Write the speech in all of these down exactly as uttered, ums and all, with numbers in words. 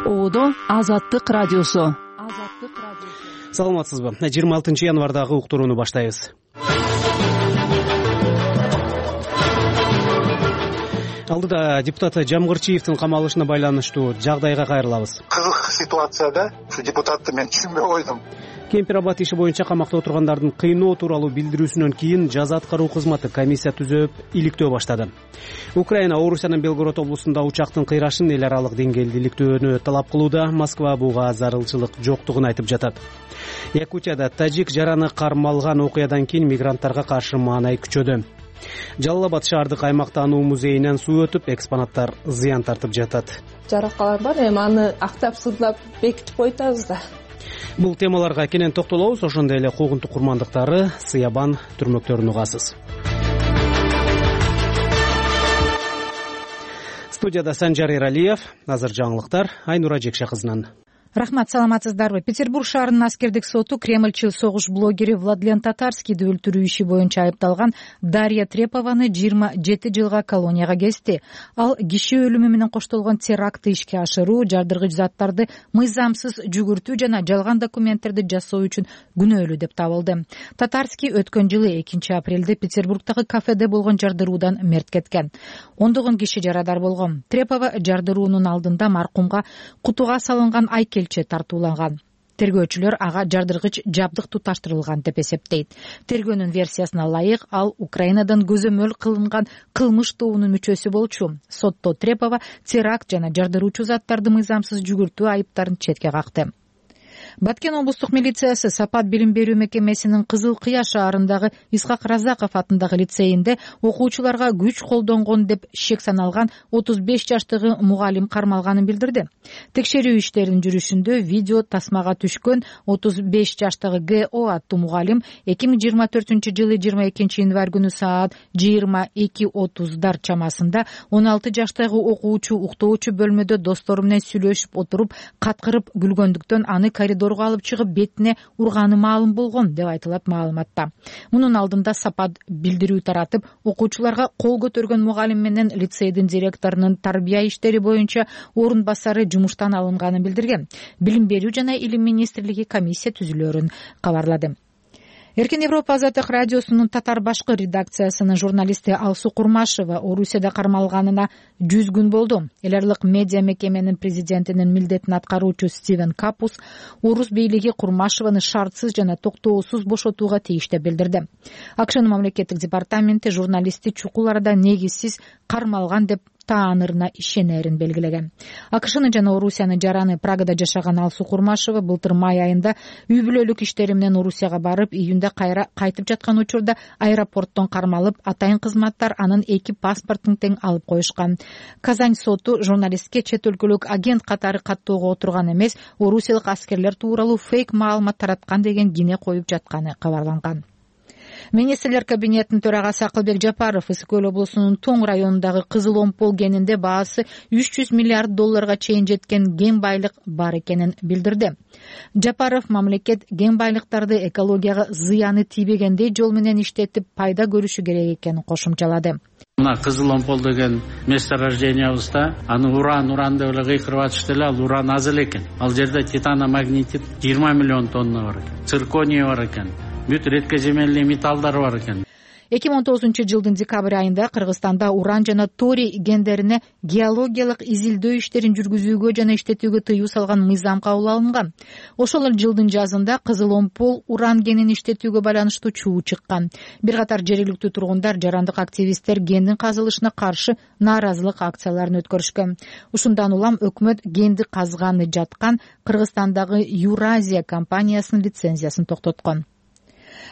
Оодо Азаттык радиосу. Саламатсызбы? жыйырма алтынчы январдагы уктурууну баштайбыз. Алдыда депутат Жамгырчиевдин камалышына байланыштуу жагдайга кайрылабыз. Кызык ситуацияда ушу депутатты мен түшүнбөй койдум. Кемпир-Абад иши боюнча камакта отургандардын кыйноо тууралуу билдирүүсүнөн кийин жаза аткаруу кызматы комиссия түзүп иликтөө баштады. Украина Орусиянын Белгород облусунда учактын кыйрашын эл аралык деңгээлде иликтөөнү талап кылууда. Москва буга зарылчылык жоктугун айтып жатат. Якутияда тажик жараны кармалган окуядан кийин мигранттарга каршы маанай күчөдү. Жалал Абад шаардык аймактануу музейинен суу өтүп, экспонаттар зыян тартып жатат. Жаракалар бар, эми аны актап сызлап бекитип койтабыз да. Бул темаларга кенен токтолобуз. Ошондой эле куугунтук курмандыктары, сыябан түрмөктөрүн угасыз. Студияда Санжар Эралиев, азыр жаңылыктар Айнура Жекше кызынан. Рахмат, саламатсыздарбы? Петербург шаарынын аскердик соту Кремльчил согуш блогери Владлен Татарскийди өлтүрүү иши боюнча айыпталган Дарья Трепованы жыйырма жети жылга колонияга кести. Ал киши өлүмү менен коштолгон терактты ишке ашыруу, жардыргыч заттарды мыйзамсыз жүгүртүү жана жалган документтерди жасоо үчүн күнөөлүү деп табылды. Татарский өткөн жылы экинчи апрелде Петербургдагы кафеде болгон жардыруудан мерт кеткен. Ондогон киши жарадар болгон. Трепова жардыруунун алдында маркумга кутуга салынган айкел тартууланган. Тергөөчүлөр ага жардыргыч жабдык туташтырылган деп эсептейт. Тергөөнүн версиясына ылайык, ал Украинадан көзөмөл кылынган кылмыш тобунун мүчөсү болчу. Сотто Трепова теракт жана жардыруучу заттарды мыйзамсыз жүгүртүү айыптарын четке какты. Баткен облустук милициясы Сапат билим берүү мекемесинин Кызыл Кыя шаарындагы Исхак Разаков атындагы лицейинде окуучуларга күч колдонгон деп шек саналган отуз беш жаштагы мугалим кармалганын билдирди. Текшерүү иштеринин жүрүшүндө видео тасмага түшкөн отуз беш жаштагы Г О аттуу мугалим эки миң жыйырма төртүнчү жылы жыйырма экинчи январь күнү саат жыйырма эки отуздар чамасында он алты жаштагы окуучу уктоочу бөлмөдө достору менен сүйлөшүп отуруп каткырып күлгөндүктөн аны коридорго алып чыгып бетине урганы маалым болгон деп айтылат маалыматта. Мунун алдында Сапат билдирүү таратып, окуучуларга кол көтөргөн мугалим менен лицейдин директорунун тарбия иштери боюнча орун басары жумуштан алынганын билдирген. Билим берүү жана илим министрлиги комиссия түзүлөрүн кабарлады. Эркин Европа Азаттык радиосунун татар башкы редакциясынын журналисти Алсу Курмашева Орусияда кармалганына жүз күн болду. Эл аралык медиа мекеменин президентинин милдетин аткаруучу Стивен Капус Орус бийлиги Курмашеваны шартсыз жана токтоосуз бошотууга тийиш деп билдирди. АКШнын мамлекеттик департаменти журналистти чукул арада негизсиз кармалган деп таанырына ишенерин белгилеген. АКШнын жана Орусиянын жараны Прагада жашаган Алсу Курмашева былтыр май айында үй бүлөлүк иштери менен Орусияга барып, июнда кайра кайтып жаткан учурда аэропорттон кармалып, атайын кызматтар анын эки паспортун тең алып коюшкан. Казань соту журналистке чет өлкөлүк агент катары каттоого отурган эмес, орусиялык аскерлер тууралуу фейк маалымат тараткан деген кине коюп жатканы кабарланган. Министрлер кабинетинин төрагасы Акылбек Жапаров Ысык Көл облусунун Тоң районундагы Кызыл Омпол кенинде баасы үч жүз миллиард долларга чейин жеткен кен байлык бар экенин билдирди. Жапаров мамлекет кен байлыктарды экологияга зыяны тийбегендей жол менен иштетип пайда көрүшү керек экенин кошумчалады. Мына Кызыл Омпол деген месторождениябызда аны уран уран деп эле кыйкырып атышты эле, ал уран аз эле экен. Ал жерде титаномагнетит жыйырма миллион тонна бар экен. Цирконий бар экен. Бүт редкоземельный металлдар бар экен. эки миң он тогузунчу жылдын декабрь айында Кыргызстанда уран жана торий кендерине геологиялык изилдөө иштерин жүргүзүүгө жана иштетүүгө тыюу салган мыйзам кабыл алынган. Ошол эле жылдын жазында Кызыл Омпол уран кенин иштетүүгө байланыштуу чуу чыккан. Бир катар жергиликтүү тургундар, жарандык активисттер кендин казылышына каршы нааразылык акцияларын өткөрүшкөн. Ушундан улам өкмөт кенди казганы жаткан Кыргызстандагы Юразия компаниясынын лицензиясын токтоткон.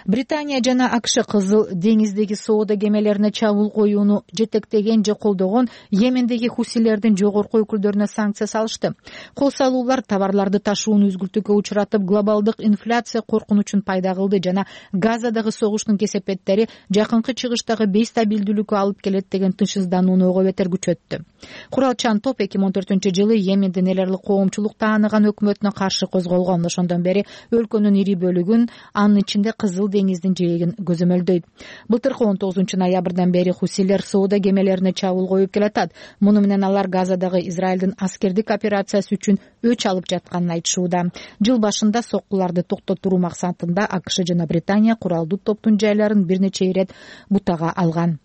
Британия жана АКШ Кызыл деңиздеги соода кемелерине чабуул коюуну жетектеген же колдогон Йемендеги хусилердин жогорку өкүлдөрүнө санкция салышты. Кол салуулар товарларды ташууну үзгүлтүүгө учуратып, глобалдык инфляция коркунучун пайда кылды жана Газадагы согуштун кесепеттери жакынкы чыгыштагы бейстабилдүүлүккө алып келет деген тынчсызданууну ого бетер күчөттү. Куралчан топ эки миң он төртүнчү жылы Йемендин эл аралык коомчулук тааныган өкмөтүнө каршы козголгон. Ошондон бери өлкөнүн ири бөлүгүн, анын ичинде Кызыл Кызыл деңиздин жээгин көзөмөлдөйт. Былтыркы он тогузунчу ноябрдан бери хусилер соода кемелерине чабуул коюп келатат. Муну менен алар Газадагы Израилдин аскердик операциясы үчүн өч алып жатканын айтышууда. Жыл башында соккуларды токтотуу максатында АКШ жана Британия куралдуу топтун жайларын бир нече ирет бутага алган.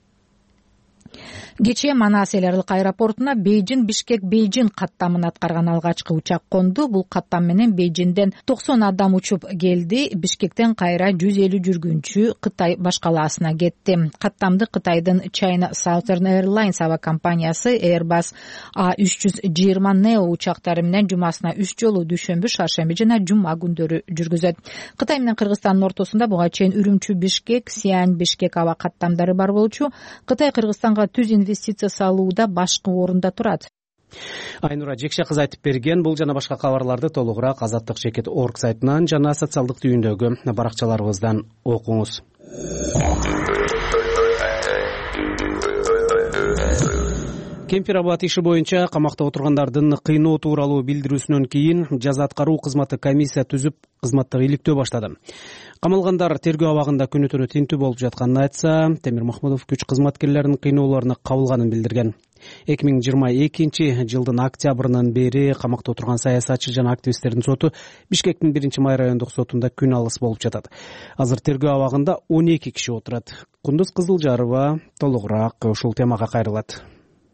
Кечээ Манас эл аралык аэропортуна Бейжин Бишкек Бейжин каттамын аткарган алгачкы учак конду. Бул каттам менен Бейжинден токсон адам учуп келди. Бишкектен кайра жүз элүү жүргүнчү Кытай баш калаасына кетти. Каттамды Кытайдын China Southern Airlines аба компаниясы Airbus А үч жүз жыйырма Neo учактары менен жумасына үч жолу дүйшөмбү, шаршемби жана жума күндөрү жүргүзөт. Кытай менен Кыргызстандын ортосунда буга чейин Үрүмчү Бишкек, Сиань Бишкек аба каттамдары бар болчу. Кытай Кыргызстанга түз инвестиция салууда башкы орунда турат. Айнура Жекше кызы айтып берген. Бул жана башка кабарларды толугураак азаттык чекит точка орг сайтынан жана социалдык түйүндөгү баракчаларыбыздан окуңуз. Кемпир абад иши боюнча камакта отургандардын кыйноо тууралуу билдирүүсүнөн кийин жаза аткаруу кызматы комиссия түзүп кызматтык иликтөө баштады. Камалгандар тергөө абагында күнү түнү тинтүү болуп жатканын айтса, Темир Махмудов күч кызматкерлеринин кыйноолоруна кабылганын билдирген. эки миң жыйырма экинчи жылдын октябрынан бери камакта отурган саясатчы жана активисттердин соту Бишкектин биринчи май райондук сотунда күн алыс болуп жатат. Азыр тергөө абагында он эки киши отурат. Кундуз Кызылжарова толугураак ушул темага кайрылат.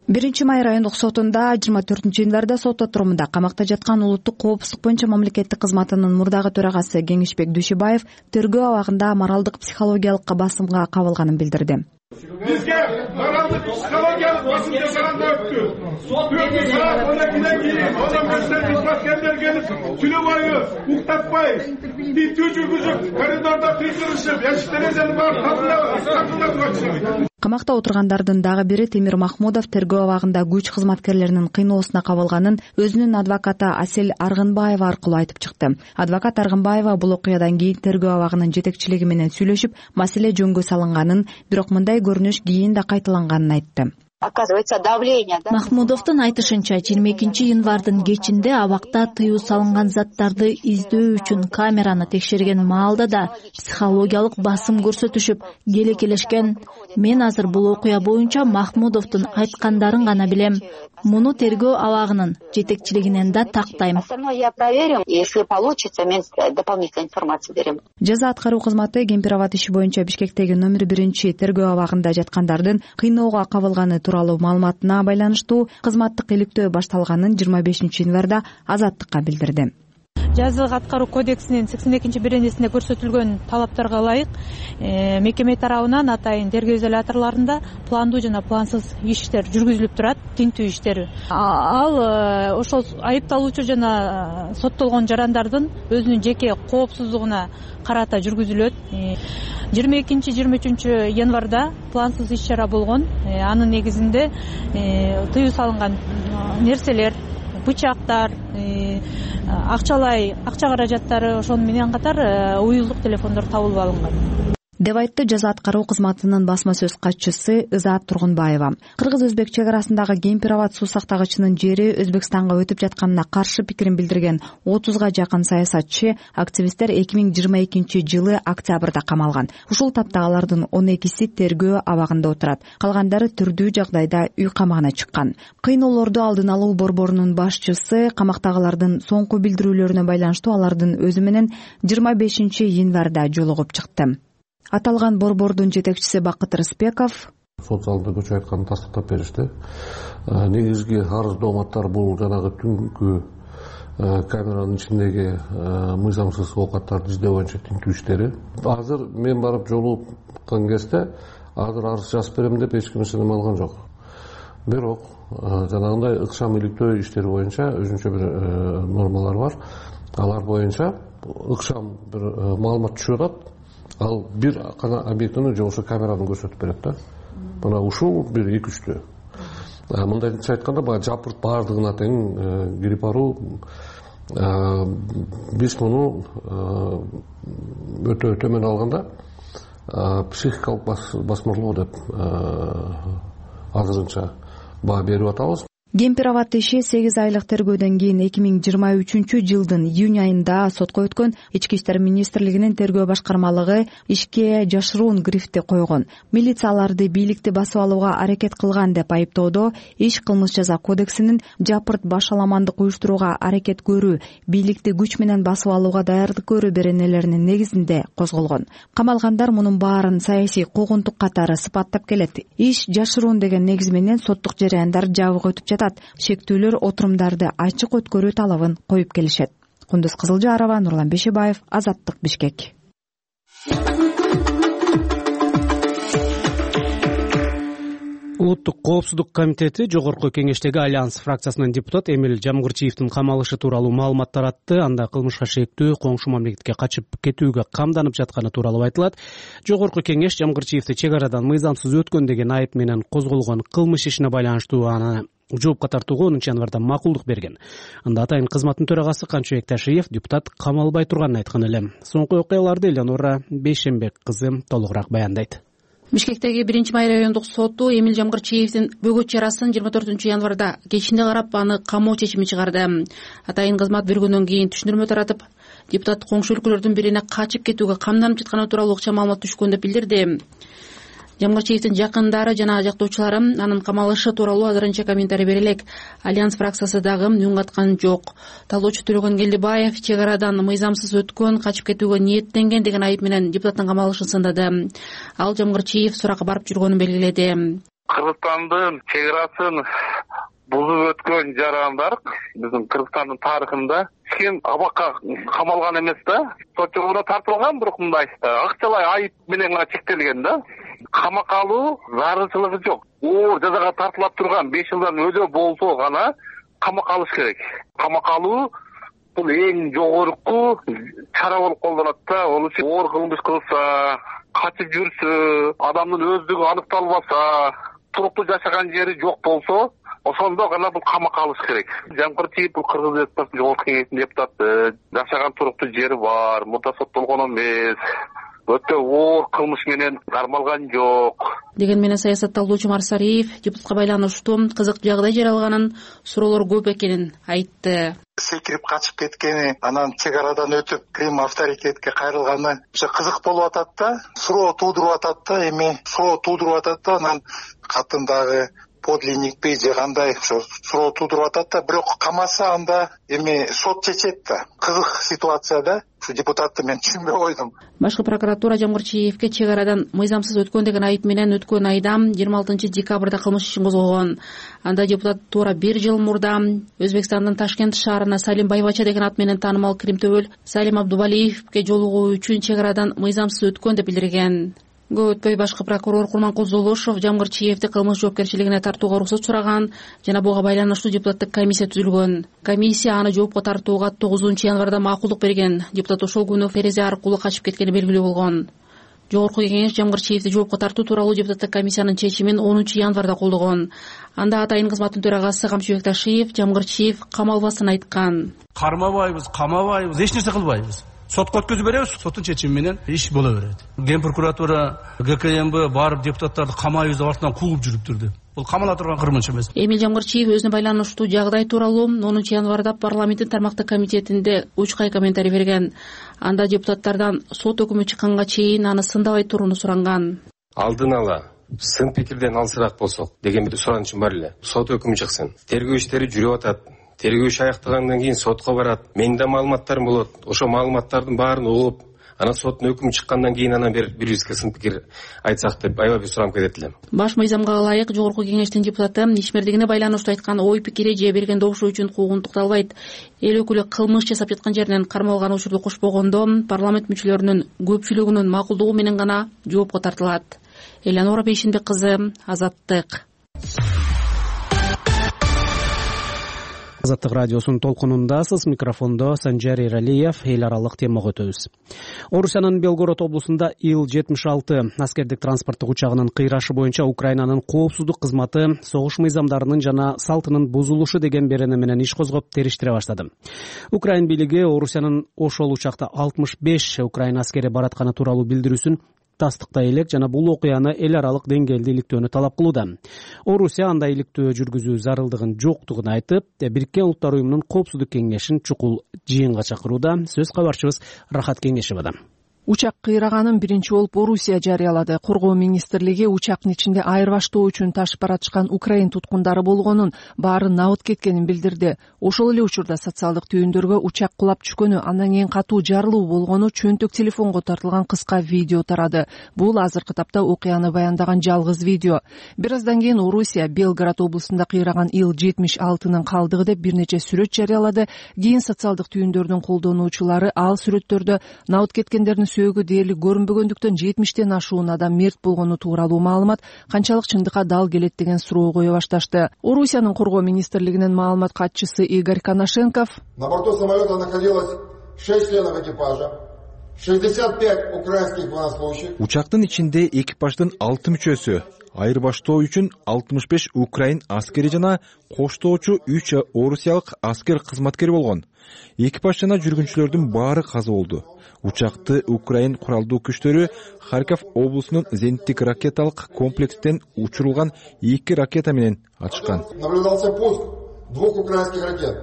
биринчи май райондук сотунда жыйырма төртүнчү январда сот отурумунда камакта жаткан улуттук коопсуздук боюнча мамлекеттик кызматынын мурдагы төрагасы Кеңешбек Дүйшөбаев тергөө абагында моралдык психологиялык басымга кабылганын билдирди. Бизге моралдык психологиялык басым жасаганда өттү. Төртү саат он экиден кийин адамдар кызматкерлер келип түнү бою уктатпай, тинтүү жүргүзүп, коридордо кыйкырышып, эшик терезени барып капылдап атышты. Камакта отургандардын дагы бири Темир Махмудов тергөө абагында күч кызматкерлеринин кыйноосуна кабылганын өзүнүн адвокаты Асел Аргынбаева аркылуу айтып чыкты. Адвокат Аргынбаева бул окуядан кийин тергөө абагынын жетекчилиги менен сүйлөшүп, маселе жөнгө салынганын, бирок мындай көрүнүш кийин да кайталанганын айтты. Оказывается, давление, да? Махмудовдун айтышынча, жыйырма экинчи январдын кечинде абакта тыюу салынган заттарды издөө үчүн камераны текшерген маалда да психологиялык басым көрсөтүшүп, келекелешкен. Мен азыр бул окуя боюнча Махмудовдун айткандарын гана билем. Муну тергөө абагынын жетекчилигинен да тактайм. Я проверю, если получится, мен дополнительную информацию берем. Жаза аткаруу кызматы Кемпир абад иши боюнча Бишкектеги номер биринчи тергөө абагында жаткандардын кыйноого кабылганы тууралуу маалыматына байланыштуу кызматтык иликтөө башталганын жыйырма бешинчи январда Азаттыкка билдирди. Жаза аткаруу кодексинин сексен экинчи беренесинде көрсөтүлгөн талаптарга ылайык мекеме тарабынан атайын тергөө изоляторлорунда пландуу жана плансыз иштер жүргүзүлүп турат, тинтүү иштери. Ал ошол айыпталуучу жана соттолгон жарандардын өзүнүн жеке коопсуздугуна карата жүргүзүлөт. жыйырма экинчи жыйырма үчүнчү январда плансыз иш чара болгон. Анын негизинде тыюу салынган нерселер, бычактар, акчалай акча каражаттары, ошону менен катар уюлдук телефондор табылып алынган деп айтты жаза аткаруу кызматынын басма сөз катчысы Ызаат Тургунбаева. Кыргыз-өзбек чек арасындагы Кемпир абад суу сактагычынын жери Өзбекстанга өтүп жатканына каршы пикирин билдирген отузга жакын саясатчы, активисттер эки миң жыйырма экинчи жылы октябрда камалган. Ушул тапта алардын он экиси тергөө абагында отурат. Калгандары түрдүү жагдайда үй камагына чыккан. Кыйноолорду алдын алуу борборунун башчысы камактагылардын соңку билдирүүлөрүнө байланыштуу алардын өзү менен жыйырма бешинчи январда жолугуп чыкты. Аталган борбордун жетекчиси Бакыт Рыспеков сот залында көчө айтканын тастыктап беришти. Негизги арыз дооматтар бул жанагы түнкү камеранын ичиндеги мыйзамсыз оокаттарды издөө боюнча тинтүү иштери. Азыр мен барып жолугупкан кезде азыр арыз жазып берем деп эч ким эсене алган жок. Бирок жанагындай ыкшам иликтөө иштери боюнча өзүнчө бир нормалар бар. Алар боюнча ыкшам бир маалымат түшүп атат. Ал бир гана объектини же ошо камераны көрсөтүп берет да. Мына ушул бир эки үчтө. Мындайча айтканда баягы жапырт баардыгына тең кирип баруу. Биз муну өтө төмөн алганда психикалык басмырлоо деп азырынча баа берип атабыз. гемпироват иши сегиз айлык тергөөдөн кийин эки миң жыйырма үчүнчү жылдын июнь айында сотко өткөн. Ички иштер министрлигинин тергөө башкармалыгы ишке жашыруун грифти койгон. Милиция аларды бийликти басып алууга аракет кылган деп айыптоодо иш кылмыш жаза кодексинин жапырт башаламандык уюштурууга аракет көрүү, бийликти күч менен басып алууга даярдык көрүү беренелеринин негизинде козголгон. Камалгандар мунун баарын саясий куугунтук катары сыпаттап келет. Иш жашыруун деген негиз менен соттук жараяндар жабык өтүп жатат. Шектүүлөр отурумдарды ачык өткөрүү талабын коюп келишет. Кундуз Кызылжарова, Нурлан Бешебаев, Азаттык, Бишкек. Улуттук коопсуздук комитети Жогорку кеңештеги Альянс фракциясынын депутат Эмил Жамгырчиевдин камалышы тууралуу маалымат таратты. Анда кылмышка шектүү коңшу мамлекетке качып кетүүгө камданып жатканы тууралуу айтылат. Жогорку кеңеш Жамгырчиевди чек арадан мыйзамсыз өткөн деген айып менен козголгон кылмыш ишине байланыштуу аны жоопко тартууга онунчу январда макулдук берген. Анда атайын кызматтын төрагасы Канчыбек Ташиев депутат камалбай турганын айткан эле. Соңку окуяларды Элеонора Бейшембек кызы толугураак баяндайт. Бишкектеги биринчи май райондук соту Эмил Жамгырчиевдин бөгөт чарасын жыйырма төртүнчү январда кечинде карап аны камоо чечими чыгарды. Атайын кызмат бергөндөн кийин түшүндүрмө таратып, депутат коңшу өлкөлөрдүн бирине качып кетүүгө камданып жатканы тууралуу ыкча маалымат түшкөн деп билдирди. Жамгырчиевдин жакындары жана жактоочулары анын камалышы тууралуу азырынча комментарий бере элек. Альянс фракциясы дагы үн каткан жок. Талоочу Төлөгөн Келдибаев чек арадан мыйзамсыз өткөн, качып кетүүгө ниеттенген деген айып менен депутаттын камалышын сындады. Ал Жамгырчиев суракка барып жүргөнүн белгиледи. Кыргызстандын чек арасын бузуп өткөн жарандар биздин Кыргызстандын тарыхында эч ким абакка камалган эмес да. Сот жолуна тартылган, бирок мындай акчалай айып менен гана чектелген да. Камакка алуу зарылчылыгы жок. Оор жазага тартылып турган беш жылдан өдө болсо гана камакка алыш керек. Камакка алуу бул эң жогорку чара болуп колдонулат да. Ал үчүн оор кылмыш кылса, качып жүрсө, адамдын өздүгү аныкталбаса, туруктуу жашаган жери жок болсо, ошондо гана бул камакка алыш керек. Жамгырчиев бул Кыргыз Республикасынын Жогорку кеңешинин депутаты, жашаган туруктуу жери бар, мурда соттолгон эмес. Өтө оор кылмыш менен кармалган жок деген менен саясатталуучу Марсариев депутатка байланыштуу кызык жагдай жаралганын, суроолор көп экенин айтты. Секирип качып кеткени, анан чек арадан өтүп Крим авторитетке кайрылганы кызык болуп атат да, суроо туудуруп атат да, эми суроо туудуруп атат да, анан катындагы подлинникпи же кандай ошо суроо туудуруп атат да, бирок камаса анда эми сот чечет да. Кызык ситуация да. Ушу депутатты мен түшүнбөй койдум. Башкы прокуратура Жамгырчиевге чек арадан мыйзамсыз өткөн деген айып менен өткөн айда жыйырма алтынчы декабрда кылмыш ишин козгогон. Анда депутат туура бир жыл мурда Өзбекстандын Ташкент шаарына Салим Байбача деген ат менен таанымал Кримтөбөл Салим Абдубалиевке жолугуу үчүн чек арадан мыйзамсыз өткөн деп билдирген. Көп өтпөй башкы прокурор Курманкул Золошов Жамгырчиевди кылмыш жоопкерчилигине тартууга уруксат сураган жана буга байланыштуу депутаттык комиссия түзүлгөн. Комиссия аны жоопко тартууга тогузунчу январда макулдук берген. Депутат ошол күнү терезе аркылуу качып кеткени белгилүү болгон. Жогорку кеңеш Жамгырчиевди жоопко тартуу тууралуу депутаттык комиссиянын чечимин онунчу январда колдогон. Анда атайын кызматтын төрагасы Камчыбек Ташиев Жамгырчиев камалбасын айткан. Кармабайбыз, камабайбыз, эч нерсе кылбайбыз. Сотко өткөзүп беребиз, соттун чечими менен иш боло берет. Ген прокуратура, ГКМБ барып депутаттарды камайбыз деп артынан куугуп жүрүптүр. Бул камала турган кырмынчы эмес. Эмил Жамгырчиев өзүнө байланыштуу жагдай тууралуу онунчу январда парламенттин тармактык комитетинде учкай комментарий берген. Анда депутаттардан сот өкүмү чыкканга чейин аны сындабай турууну суранган. Алдын ала сын пикирден алсыраак болсок деген бир суранычым бар эле. Сот өкүмү чыксын. Тергөө иштери жүрүп атат. Тергөө иши аяктагандан кийин сотко барат. Менде маалыматтарым болот. Ошо маалыматтардын баарын угуп, анан соттун өкүмү чыккандан кийин анан бир бирибизге сын пикир айтсак деп аябай бир суранып кетет элем. Баш мыйзамга ылайык Жогорку кеңештин депутаты ишмердигине байланыштуу айткан ой пикири же берген добушу үчүн куугунтукталбайт. Эл өкүлү кылмыш жасап жаткан жеринен кармалган учурду кошпогондо парламент мүчөлөрүнүн көпчүлүгүнүн макулдугу менен гана жоопко тартылат. Элеонора Бейшембек кызы, Азаттык. Азаттык радиосунун толкунундасыз. Микрофондо Санжар Эралиев. Эл аралык темага өтөбүз. Орусиянын Белгород облусунда Ил жетимиш алты аскердик транспорттук учагынын кыйрашы боюнча Украинанын коопсуздук кызматы согуш мыйзамдарынын жана салтынын бузулушу деген берене менен иш козгоп териштире баштады. Украин бийлиги Орусиянын ошол учакта алтымыш беш Украин аскери баратканы тууралуу билдирүүсүн тастыктай элек жана бул окуяны эл аралык деңгээлде иликтөөнү талап кылууда. Орусия андай иликтөө жүргүзүү зарылдыгын жоктугун айтып, Бириккен Улуттар уюмунун Коопсуздук кеңешин чукул жыйынга чакырууда. Сөз кабарчыбыз Рахат Кеңешевадан. Учак кыйраганын биринчи болуп Орусия жарыялады. Коргоо министрлиги учактын ичинде айырбаштоо үчүн ташып баратышкан украин туткундары болгонун, баары набыт кеткенин билдирди. Ошол эле учурда социалдык түйүндөргө учак кулап түшкөнү, андан кийин катуу жарылуу болгону чөнтөк телефонго тартылган кыска видео тарады. Бул азыркы тапта окуяны баяндаган жалгыз видео. Бир аздан кийин Орусия Белгород облусунда кыйраган Ил жетимиш алтынын калдыгы деп бир нече сүрөт жарыялады. Кийин социалдык түйүндөрдүн колдонуучулары ал сүрөттөрдө набыт кеткендердин сөөгү дээрлик көрүнбөгөндүктөн жетимиштен ашуун адам мерт болгону тууралуу маалымат канчалык чындыкка дал келет деген суроо кое башташты. Орусиянын коргоо министрлигинин маалымат катчысы Игорь Коношенков: На борту самолета находилось шесть членов экипажа, шестьдесят пять украинских военнослужащих. Учактын ичинде экипаждын алты мүчөсү, айырбаштоо үчүн алтымыш беш украин аскери жана коштоочу үч орусиялык аскер кызматкер болгон. Экипаж жана жүргүнчүлөрдүн баары каза болду. Учакты Украин куралдуу күчтөрү Харьков облусунун зениттик ракеталык комплекстен учурулган эки ракета менен ачкан. Наблюдался пуск двух украинских ракет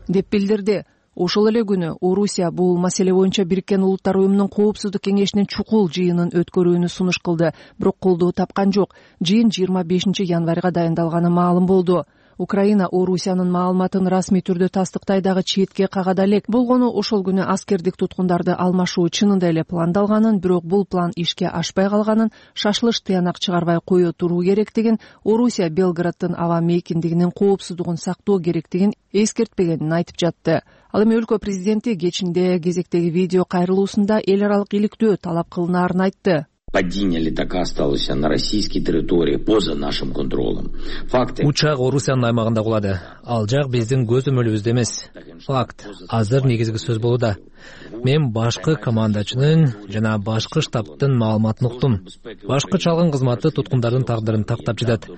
деп билдирди. Ошол эле күнү Орусия бул маселе боюнча Бириккен Улуттар уюмунун Коопсуздук кеңешинин чукул жыйынын өткөрүүнү сунуш кылды, бирок колдоо тапкан жок. Жыйын жыйырма бешинчи январга дайындалганы маалым болду. Украина Орусиянын маалыматын расмий түрдө тастыктай дагы четке кагада элек. Болгону ошол күнү аскердик туткундарды алмашуу чынында эле пландалганын, бирок бул план ишке ашпай калганын, шашылыш тыянак чыгарбай кое туруу керектигин, Орусия Белгороддун аба мейкиндигинин коопсуздугун сактоо керектигин эскертпегенин айтып жатты. Ал эми өлкө президенти кечинде кезектеги видео кайрылуусунда эл аралык иликтөө талап кылынаарын айтты. Падение летака осталось на российской территории поза нашим контролем. Факты. Учак Орусиянын аймагында кулады. Ал жак биздин көзөмөлүбүздө эмес. Факт. Азыр негизги сөз болууда. Мен башкы командачынын жана башкы штабтын маалыматын уктум. Башкы чалгын кызматы туткундардын тагдырын тактап жатат.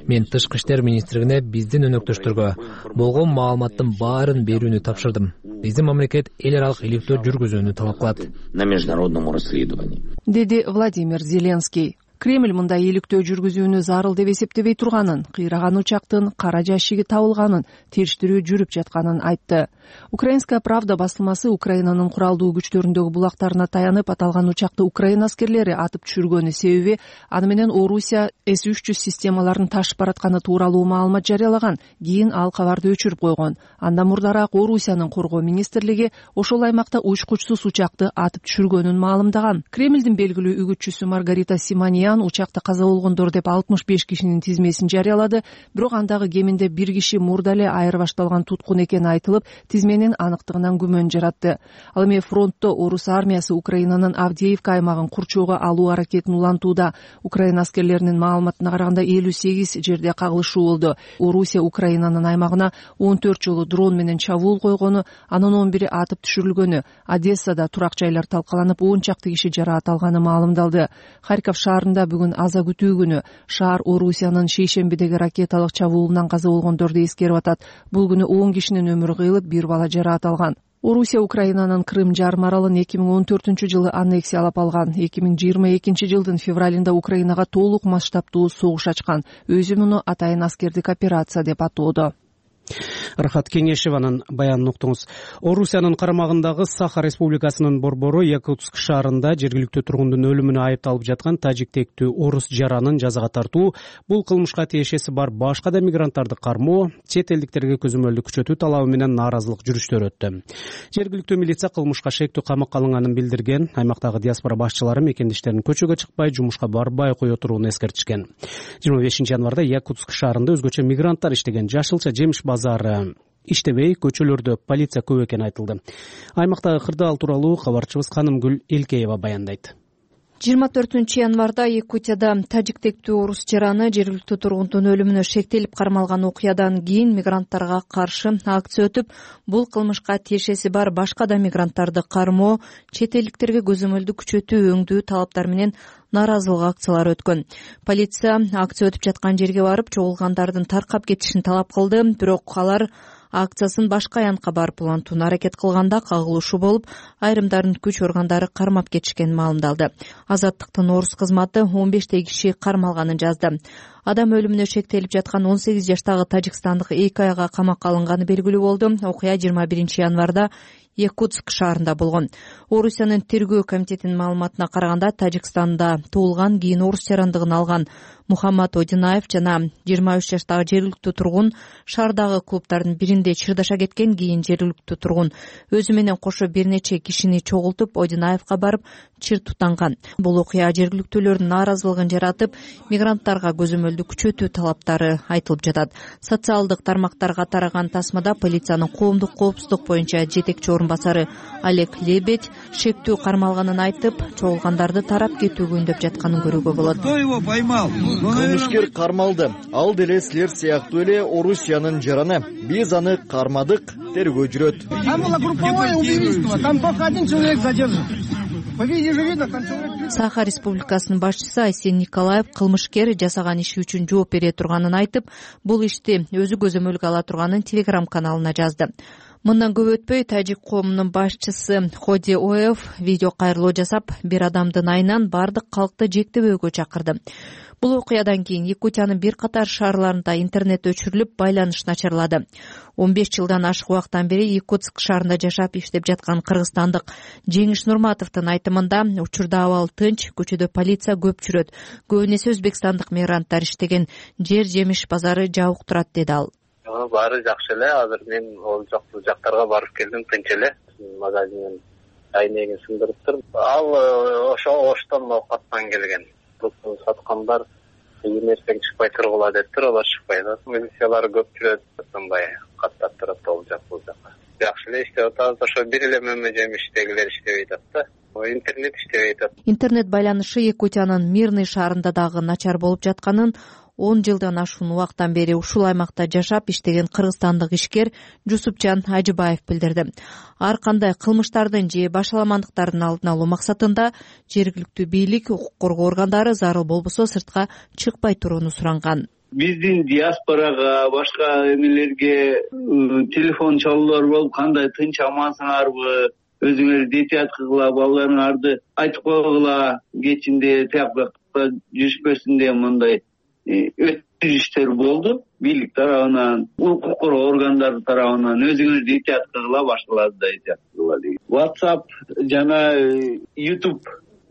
Мен тышкы иштер министрлигине биздин өнөктөштөргө болгон маалыматтын баарын берүүнү тапшырдым. Биздин мамлекет эл аралык иликтөө жүргүзүүнү талап кылат. На международном расследовании. Деди Владимир Зеленский. Кремль мындай иликтөө жүргүзүүнү зарыл деп эсептебей турганын, кыйраган учактын кара жашиги табылганын, териштирүү жүрүп жатканын айтты. Украинская правда басылмасы Украинанын куралдуу күчтөрүндөгү булактарына таянып аталган учакты Украина аскерлери атып түшүргөнү себеби аны менен Орусия эс үч жүз системаларын ташып баратканы тууралуу маалымат жарыялаган. Кийин ал кабарды өчүрүп койгон. Андан мурдараак Орусиянын коргоо министрлиги ошол аймакта учкучсуз учакты атып түшүргөнүн маалымдаган. Кремлдин белгилүү үгүтчүсү Маргарита Симоньян учакта каза болгондор деп алтымыш беш кишинин тизмесин жарыялады, бирок андагы кеминде бир киши мурда эле айырбашталган туткун экени айтылып, тизменин аныктыгынан күмөн жаратты. Ал эми фронтто орус армиясы Украинанын Авдеевка аймагын курчоого алуу аракетин улантууда. Украина аскерлеринин маалыматына караганда элүү сегиз жерде кагылышуу болду. Орусия Украинанын аймагына он төрт жолу дрон менен чабуул койгону, анын он бири атып түшүрүлгөнү, Одессада турак жайлар талкаланып, он чакты киши жараат алганы маалымдалды. Харьков шаарында бүгүн аза күтүү күнү. Шаар Орусиянын шейшембидеги ракеталык чабуулунан каза болгондорду эскерип атат. Бул күнү он кишинин өмүрү кыйылып, бир бала жараат алган. Орусия Украинанын Крым жарым аралын эки миң он төртүнчү жылы аннексиялап алган. эки миң жыйырма экинчи жылдын февралында Украинага толук масштабтуу согуш ачкан. Өзү муну атайын аскердик операция деп атоодо. Рахат Кеңешеванын баянын уктуңуз. Орусиянын карамагындагы Саха Республикасынын борбору Якутск шаарында жергиликтүү тургундун өлүмүнө айыпталып жаткан тажиктектүү орус жаранын жазага тартуу, бул кылмышка тиешеси бар башка да мигранттарды кармоо, чет элдиктерге көзөмөлдү күчөтүү талабы менен нааразылык жүрүштөр өттү. Жергиликтүү милиция кылмышка шектүү камакка алынганын билдирген. Аймактагы диаспора башчылары мекендештерин көчөгө чыкпай, жумушка барбай кое турууну эскертишкен. жыйырма бешинчи январда Якутск шаарында өзгөчө мигранттар иштеген жашылча жемиш базары иштебей, көчөлөрдө полиция көп экени айтылды. Аймактагы кырдаал тууралуу кабарчыбыз Канымгүл Элкеева баяндайт. жыйырма төртүнчү январда Якутияда тажиктектүү орус жараны жергиликтүү тургундун өлүмүнө шектелип кармалган окуядан кийин мигранттарга каршы акция өтүп, бул кылмышка тиешеси бар башка да мигранттарды кармоо, чет элдиктерге көзөмөлдү күчөтүү өңдүү талаптар менен нааразылык акциялары өткөн. Полиция акция өтүп жаткан жерге барып, чогулгандардын таркап кетишин талап кылды, бирок алар акциясын башка аянтка барып улантууну аракет кылганда кагылышуу болуп, айрымдарын күч органдары кармап кетишкени маалымдалды. Азаттыктын орус кызматы он бештей киши кармалганын жазды. Адам өлүмүнө шектелип жаткан он сегиз жаштагы тажикстандык эки айга камакка алынганы белгилүү болду. Окуя жыйырма биринчи январда Якутск шаарында болгон. Орусиянын тергөө комитетинин маалыматына караганда, Тажикстанда туулган, кийин орус жарандыгын алган Мухаммад Одинаев жана жыйырма үч жаштагы жергиликтүү тургун шаардагы клубдардын биринде чырдаша кеткен. Кийин жергиликтүү тургун өзү менен кошо бир нече кишини чогултуп, Одинаевка барып чыр тутанган. Бул окуя жергиликтүүлөрдүн нааразылыгын жаратып, мигранттарга көзөмөлдү күчөтүү талаптары айтылып жатат. Социалдык тармактарга тараган тасмада полициянын коомдук коопсуздук боюнча жетекчи орун басары Олег Лебедь шектүү кармалганын айтып, чогулгандарды тарап кетүүгө үндөп жатканын көрүүгө болот. Кто его поймал? Кылмышкер кармалды. Ал деле силер сыяктуу эле Орусиянын жараны. Биз аны кармадык, тергөө жүрөт. Там было групповое убийство, там только один человек задержан. По видео же видно, там человек... Саха Республикасынын башчысы Айсен Николаев кылмышкер жасаган иши үчүн жооп бере турганын айтып, бул ишти өзү көзөмөлгө ала турганын Telegram каналына жазды. Мындан көп өтпөй тажик коомунун башчысы Ходи Оев видео кайрылуу жасап, бир адамдын айынан бардык калкты жектебөөгө чакырды. Бул окуядан кийин Якутиянын бир катар шаарларында интернет өчүрүлүп, байланыш начарлады. он беш жылдан ашык убакыттан бери Якутск шаарында жашап иштеп жаткан кыргызстандык Жеңиш Нурматовдун айтымында, учурда абал тынч, көчөдө полиция көп жүрөт. Көбүн эсе өзбекстандык мигранттар иштеген жер жемиш базары жабык турат, деди ал. Баары жакшы эле. Азыр мен ол жактарга барып келдим, тынч эле. Магазинден айнегин сындырыптыр. Ал ошо Оштон оокаттан келген. Бул саткандар эмерсең чыкпай тургула дептир, алар чыкпайт. Милициялар көп жүрөт, мындай каттап турат ал жак бул жака. Жакшы эле иштеп атабыз. Ошо бир эле мөмө жемиштегилер иштебей атат да. Интернет иштебей атат. Интернет байланышы Якутиянын Мирный шаарында дагы начар болуп жатканын он жылдан ашуун убакыттан бери ушул аймакта жашап иштеген кыргызстандык ишкер Жусупжан Ажыбаев билдирди. Ар кандай кылмыштардын же башаламандыктардын алдын алуу максатында жергиликтүү бийлик, укук коргоо органдары зарыл болбосо сыртка чыкпай турууну суранган. Биздин диаспорага, башка эмелерге телефон чалуулар болуп, кандай тынч амансыңарбы, өзүңөр детят кылгыла, балдарыңарды айтып койгула, кечинде тиякта жүрүшпөсүн деген мындай өтүштөр болду. Бийлик тарабынан, укук коргоо органдары тарабынан өзүңөр детят кылгыла, башкаларды да детят кылгыла деген. WhatsApp жана YouTube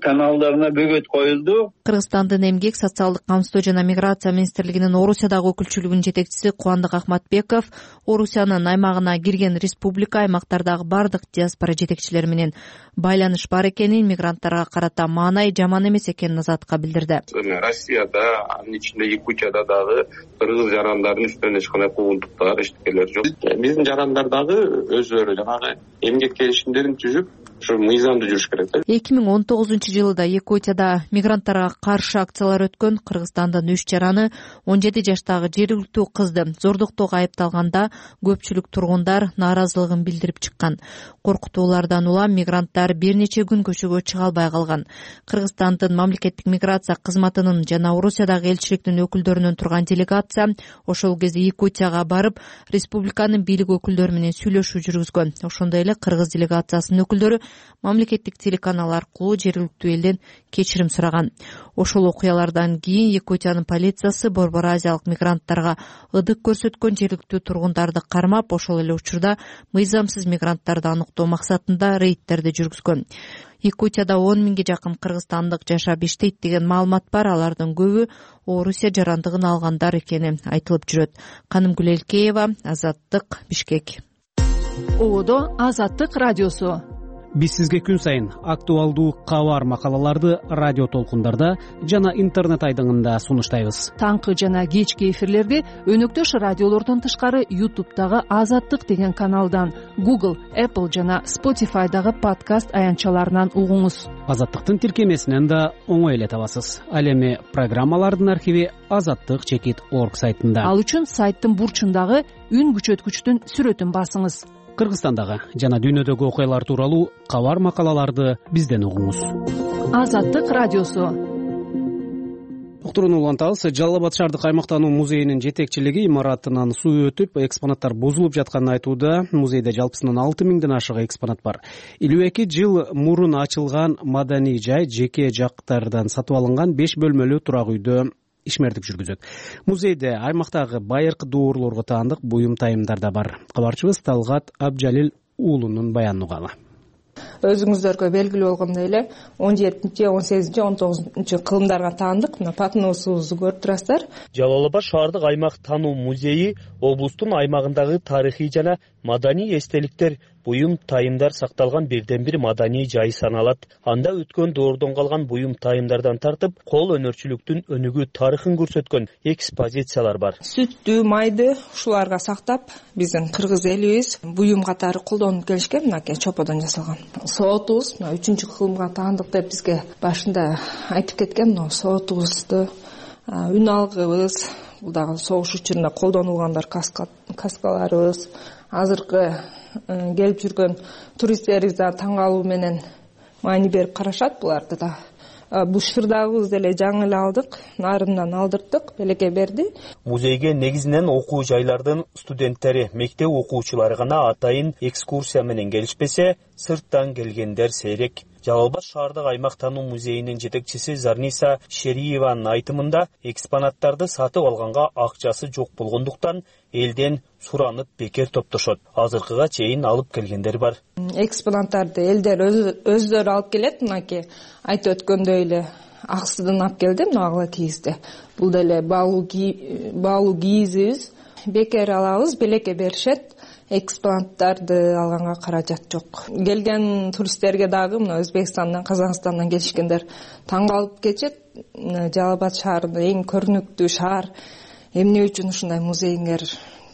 каналдарына бөгөт коюлду. Кыргызстандын эмгек, социалдык камсыздоо жана миграция министрлигинин Орусиядагы өкүлчүлүгүнүн жетекчиси Кубандык Ахматбеков Орусиянын аймагына кирген республика аймактардагы бардык диаспора жетекчилери менен байланыш бар экенин, мигранттарга карата маанай жаман эмес экенин Азатка билдирди. Россияда, анын ичинде Якутияда дагы кыргыз жарандардын үстүнөн эч кандай куугунтуктар, иштикелер жок. Биздин жарандар дагы өзүлөрү жанагы эмгек келишимдерин түзүп, ушу мыйзамдуу жүрүш керек. эки миң он тогузунчу жылда Якутияда мигранттарга каршы акциялар өткөн. Кыргызстандын үч жараны он жети жаштагы жергиликтүү кызды зордуктоого айыпталганда көпчүлүк тургундар нааразылыгын билдирип чыккан. Коркутуулардан улам мигранттар бир нече күн көчөгө чыга албай калган. Кыргызстандын мамлекеттик миграция кызматынын жана Орусиядагы элчиликтин өкүлдөрүнөн турган делегация ошол кезде Якутияга барып, республиканын бийлик өкүлдөрү менен сүйлөшүү жүргүзгөн. Ошондой эле кыргыз делегациясынын өкүлдөрү мамлекеттик телеканал аркылуу жергиликтүү элден кечирим сураган. Ошол окуялардан кийин Якутиянын полициясы Борбор Азиялык мигранттарга ыдык көрсөткөн жергиликтүү тургундарды кармап, ошол эле учурда мыйзамсыз мигранттарды аныктоо максатында рейдтерди жүргүзгөн. Якутияда он миңге жакын кыргызстандык жашап иштейт деген маалымат бар. Алардын көбү Орусия жарандыгын алгандар экени айтылып жүрөт. Канымгүл Элкеева, Азаттык, Бишкек. Ободо Азаттык радиосу. Биз сизге күн сайын актуалдуу кабар макалаларды радио толкундарда жана интернет айдыңында сунуштайбыз. Таңкы жана кечки эфирлерди өнөктөш радиолордон тышкары YouTube'дагы Азаттык деген каналдан, Google, Apple жана Spotify'дагы подкаст аянтчаларынан угуңуз. Азаттыктын тиркемесинен да оңой эле табасыз. Ал эми программалардын архиви азаттык чекит орг сайтында. Ал үчүн сайттын бурчундагы үн күчөткүчтүн сүрөтүн басыңыз. Кыргызстандагы жана дүйнөдөгү окуялар тууралуу кабар макалаларды бизден угуңуз. Азаттык радиосу. уктурууну улантабыз. Жалал Абад шаардык аймактануу музейинин жетекчилиги имаратынан суу өтүп, экспонаттар бузулуп жатканын айтууда. Музейде жалпысынан алты миңден ашык экспонат бар. элүү эки жыл мурун ачылган маданий жай жеке жактардан сатып алынган беш бөлмөлүү турак үйдө ишмердик жүргүзөт. Музейде аймактагы байыркы дуурлорго таандык буюм тайымдар да бар. Кабарчыбыз Талгат Абжалил уулунун баянын угалы. Өзүңүздөргө белгилүү болгондой эле он жетинчи он сегизинчи он тогузунчу кылымдарга таандык мына патыносубузду көрүп турасыздар. Жалал Абад шаардык аймак таануу музейи облустун аймагындагы тарыхый жана маданий эстеликтер, буюм тайымдар сакталган бирден бир маданий жай саналат. Анда өткөн доордон калган буюм тайымдардан тартып, кол өнөрчүлүктүн өнүгүү тарыхын көрсөткөн экспозициялар бар. Сүттү, майды ушуларга сактап, биздин кыргыз элибиз буюм катары колдонуп келишкен, мынакей чоподон жасалган. Соотубуз мына үчүнчү кылымга таандык деп бизге башында айтып кеткен. Мына соотубузду, үн алгыбыз, бул дагы согуш учурунда колдонулгандар, каскаларыбыз, азыркы келип жүргөн туристтерибиз да таң калуу менен маани берип карашат буларды да. Бул шырдагыбыз деле жаңы эле алдык, нарындан алдырттык, белекке берди. Музейге негизинен окуу жайлардын студенттери, мектеп окуучулары гана атайын экскурсия менен келишпесе, сырттан келгендер сейрек. Жалал Абад шаардык аймак таануу музейинин жетекчиси Зарниса Шериеванын айтымында, экспонаттарды сатып алганга акчасы жок болгондуктан элден суранып бекер топтошот. Азыркыга чейин алып келгендер бар. Экспонаттарды элдер өздөрү алып келет. Мынакей айтып өткөндөй эле аксыдан алып келди, мына кийизди. Бул деле баалуу кийизибиз, бекер алабыз, белекке беришет. Экспонаттарды алганга каражат жок. Келген туристтерге дагы мына Өзбекстандан, Казакстандан келишкендер таң калып кетет. Жалал Абад шаарында эң көрүнүктүү шаар, эмне үчүн ушундай музейиңер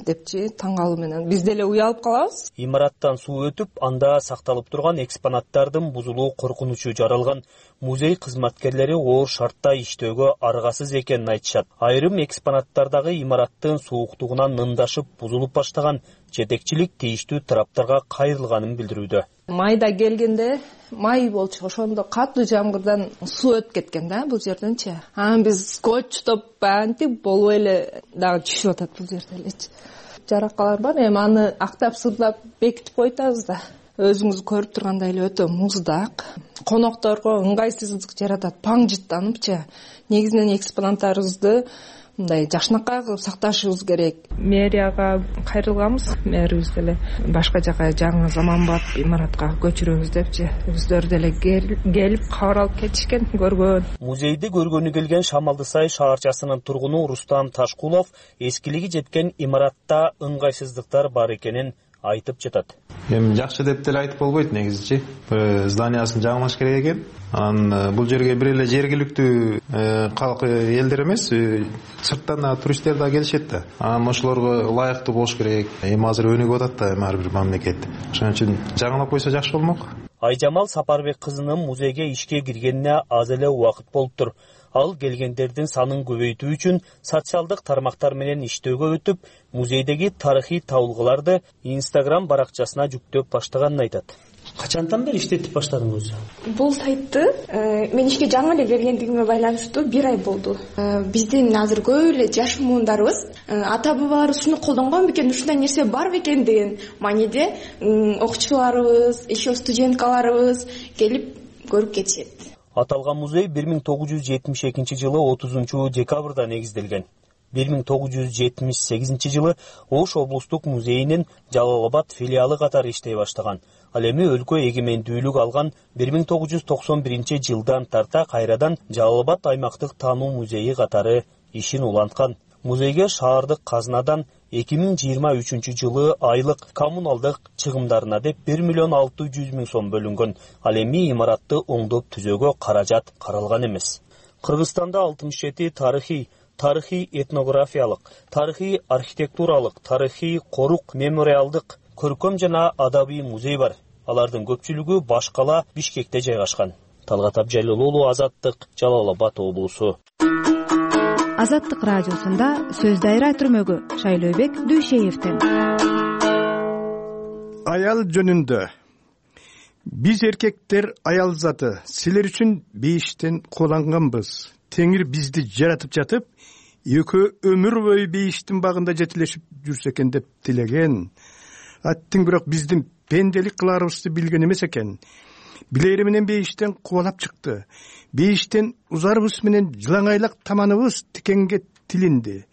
депчи таң калуу менен биз деле уялып калабыз. Имараттан суу өтүп, анда сакталып турган экспонаттардын бузулуу коркунучу жаралган. Музей кызматкерлери оор шартта иштөөгө аргасыз экенин айтышат. Айрым экспонаттардагы имараттын сууктугунан нындашып бузулуп баштаган. Жетекчилик тийиштүү тараптарга кайрылганын билдирүүдө. Майда келгенде май болчу, ошондо катуу жамгырдан суу өтүп кеткен да бул жерденчи. Анан биз скотчтоп антип болуп эле дагы түшүп атат бул жерде элечи. Жаракалар бар, эми аны актап сырдап бекитип койтабыз да. Өзүңүз көрүп тургандай эле өтө муздак, конокторго ыңгайсыздык жаратат, паңжыттаныпчы. Негизинен экспонаттарыбызды мындай жакшынакай кылып сакташыбыз керек. Мэрияга кайрылганбыз, мэрибиз деле башка жака жаңы заманбап имаратка көчүрөбүз депчи. Өздөрү деле келип кабар алып кетишкен, көргөн. Музейди көргөнү келген Шамалдысай шаарчасынын тургуну Рустам Ташкулов эскилиги жеткен имаратта ыңгайсыздыктар бар экенин айтып жатат. Эми жакшы деп деле айтып болбойт негизичи. Зданиясын жаңылаш керек экен. Анан бул жерге бир эле жергиликтүү калк элдер эмес, сырттан да туристтер да келишет да. Анан ошолорго ылайыктуу болуш керек. Эми азыр өнүгүп атат да ар бир мамлекет. Ошон үчүн жаңылап койсо жакшы болмок. Айжамал Сапарбек кызынын музейге ишке киргенине аз эле убакыт болуптур. Ал келгендердин санын көбөйтүү үчүн социалдык тармактар менен иштөөгө өтүп, музейдеги тарыхый табылгаларды Instagram баракчасына жүктөп баштаганын айтат. Качантан бери иштетип баштадыңыз? Бул сайтты мен ишке жаңы эле киргендигиме байланыштуу бир ай болду. Биздин азыр көп эле жаш муундарыбыз ата бабаларыбыз ушуну колдонгон бекен, ушундай нерсе бар бекен деген мааниде окуучуларыбыз, еще студенткаларыбыз келип көрүп кетишет. Аталган музей бир миң тогуз жүз жетимиш экинчи жылы отузунчу декабрда негизделген. бир миң тогуз жүз жетимиш сегизинчи жылы Ош облустук музейинин Жалал Абад филиалы катары иштей баштаган. Ал эми өлкө эгемендүүлүк алган бир миң тогуз жүз токсон биринчи жылдан тарта кайрадан Жалал Абад аймактык таануу музейи катары ишин уланткан. Музейге шаардык казынадан эки миң жыйырма үчүнчү жылы айлык коммуналдык чыгымдарына деп бир миллион алты жүз миң сом бөлүнгөн. Ал эми имаратты оңдоп түзөөгө каражат каралган эмес. Кыргызстанда алтымыш жети тарыхый, тарыхый этнографиялык, тарыхый архитектуралык, тарыхый корук, мемориалдык, көркөм жана адабий музей бар. Алардын көпчүлүгү Башкала, Бишкекте жайгашкан. Талгат Абжалил уулу, Азаттык, Жалал Абад облусу. Азаттык радиосунда сөз дайра түрмөгү Шайлообек Дүйшеевден. Аял жөнүндө. Биз эркектер аял заты силер үчүн бейиштен кууланганбыз теңир бизди жаратып жатып экөө өмүр бою бейиштин багында жетелешип жүрсө экен деп тилеген. Аттың бирок биздин пенделик кыларыбызды билген эмес экен. Билери менен бейиштен кубалап чыкты. Бейиштен узарыбыз менен жылаңайлак таманыбыз тикенге тилинди.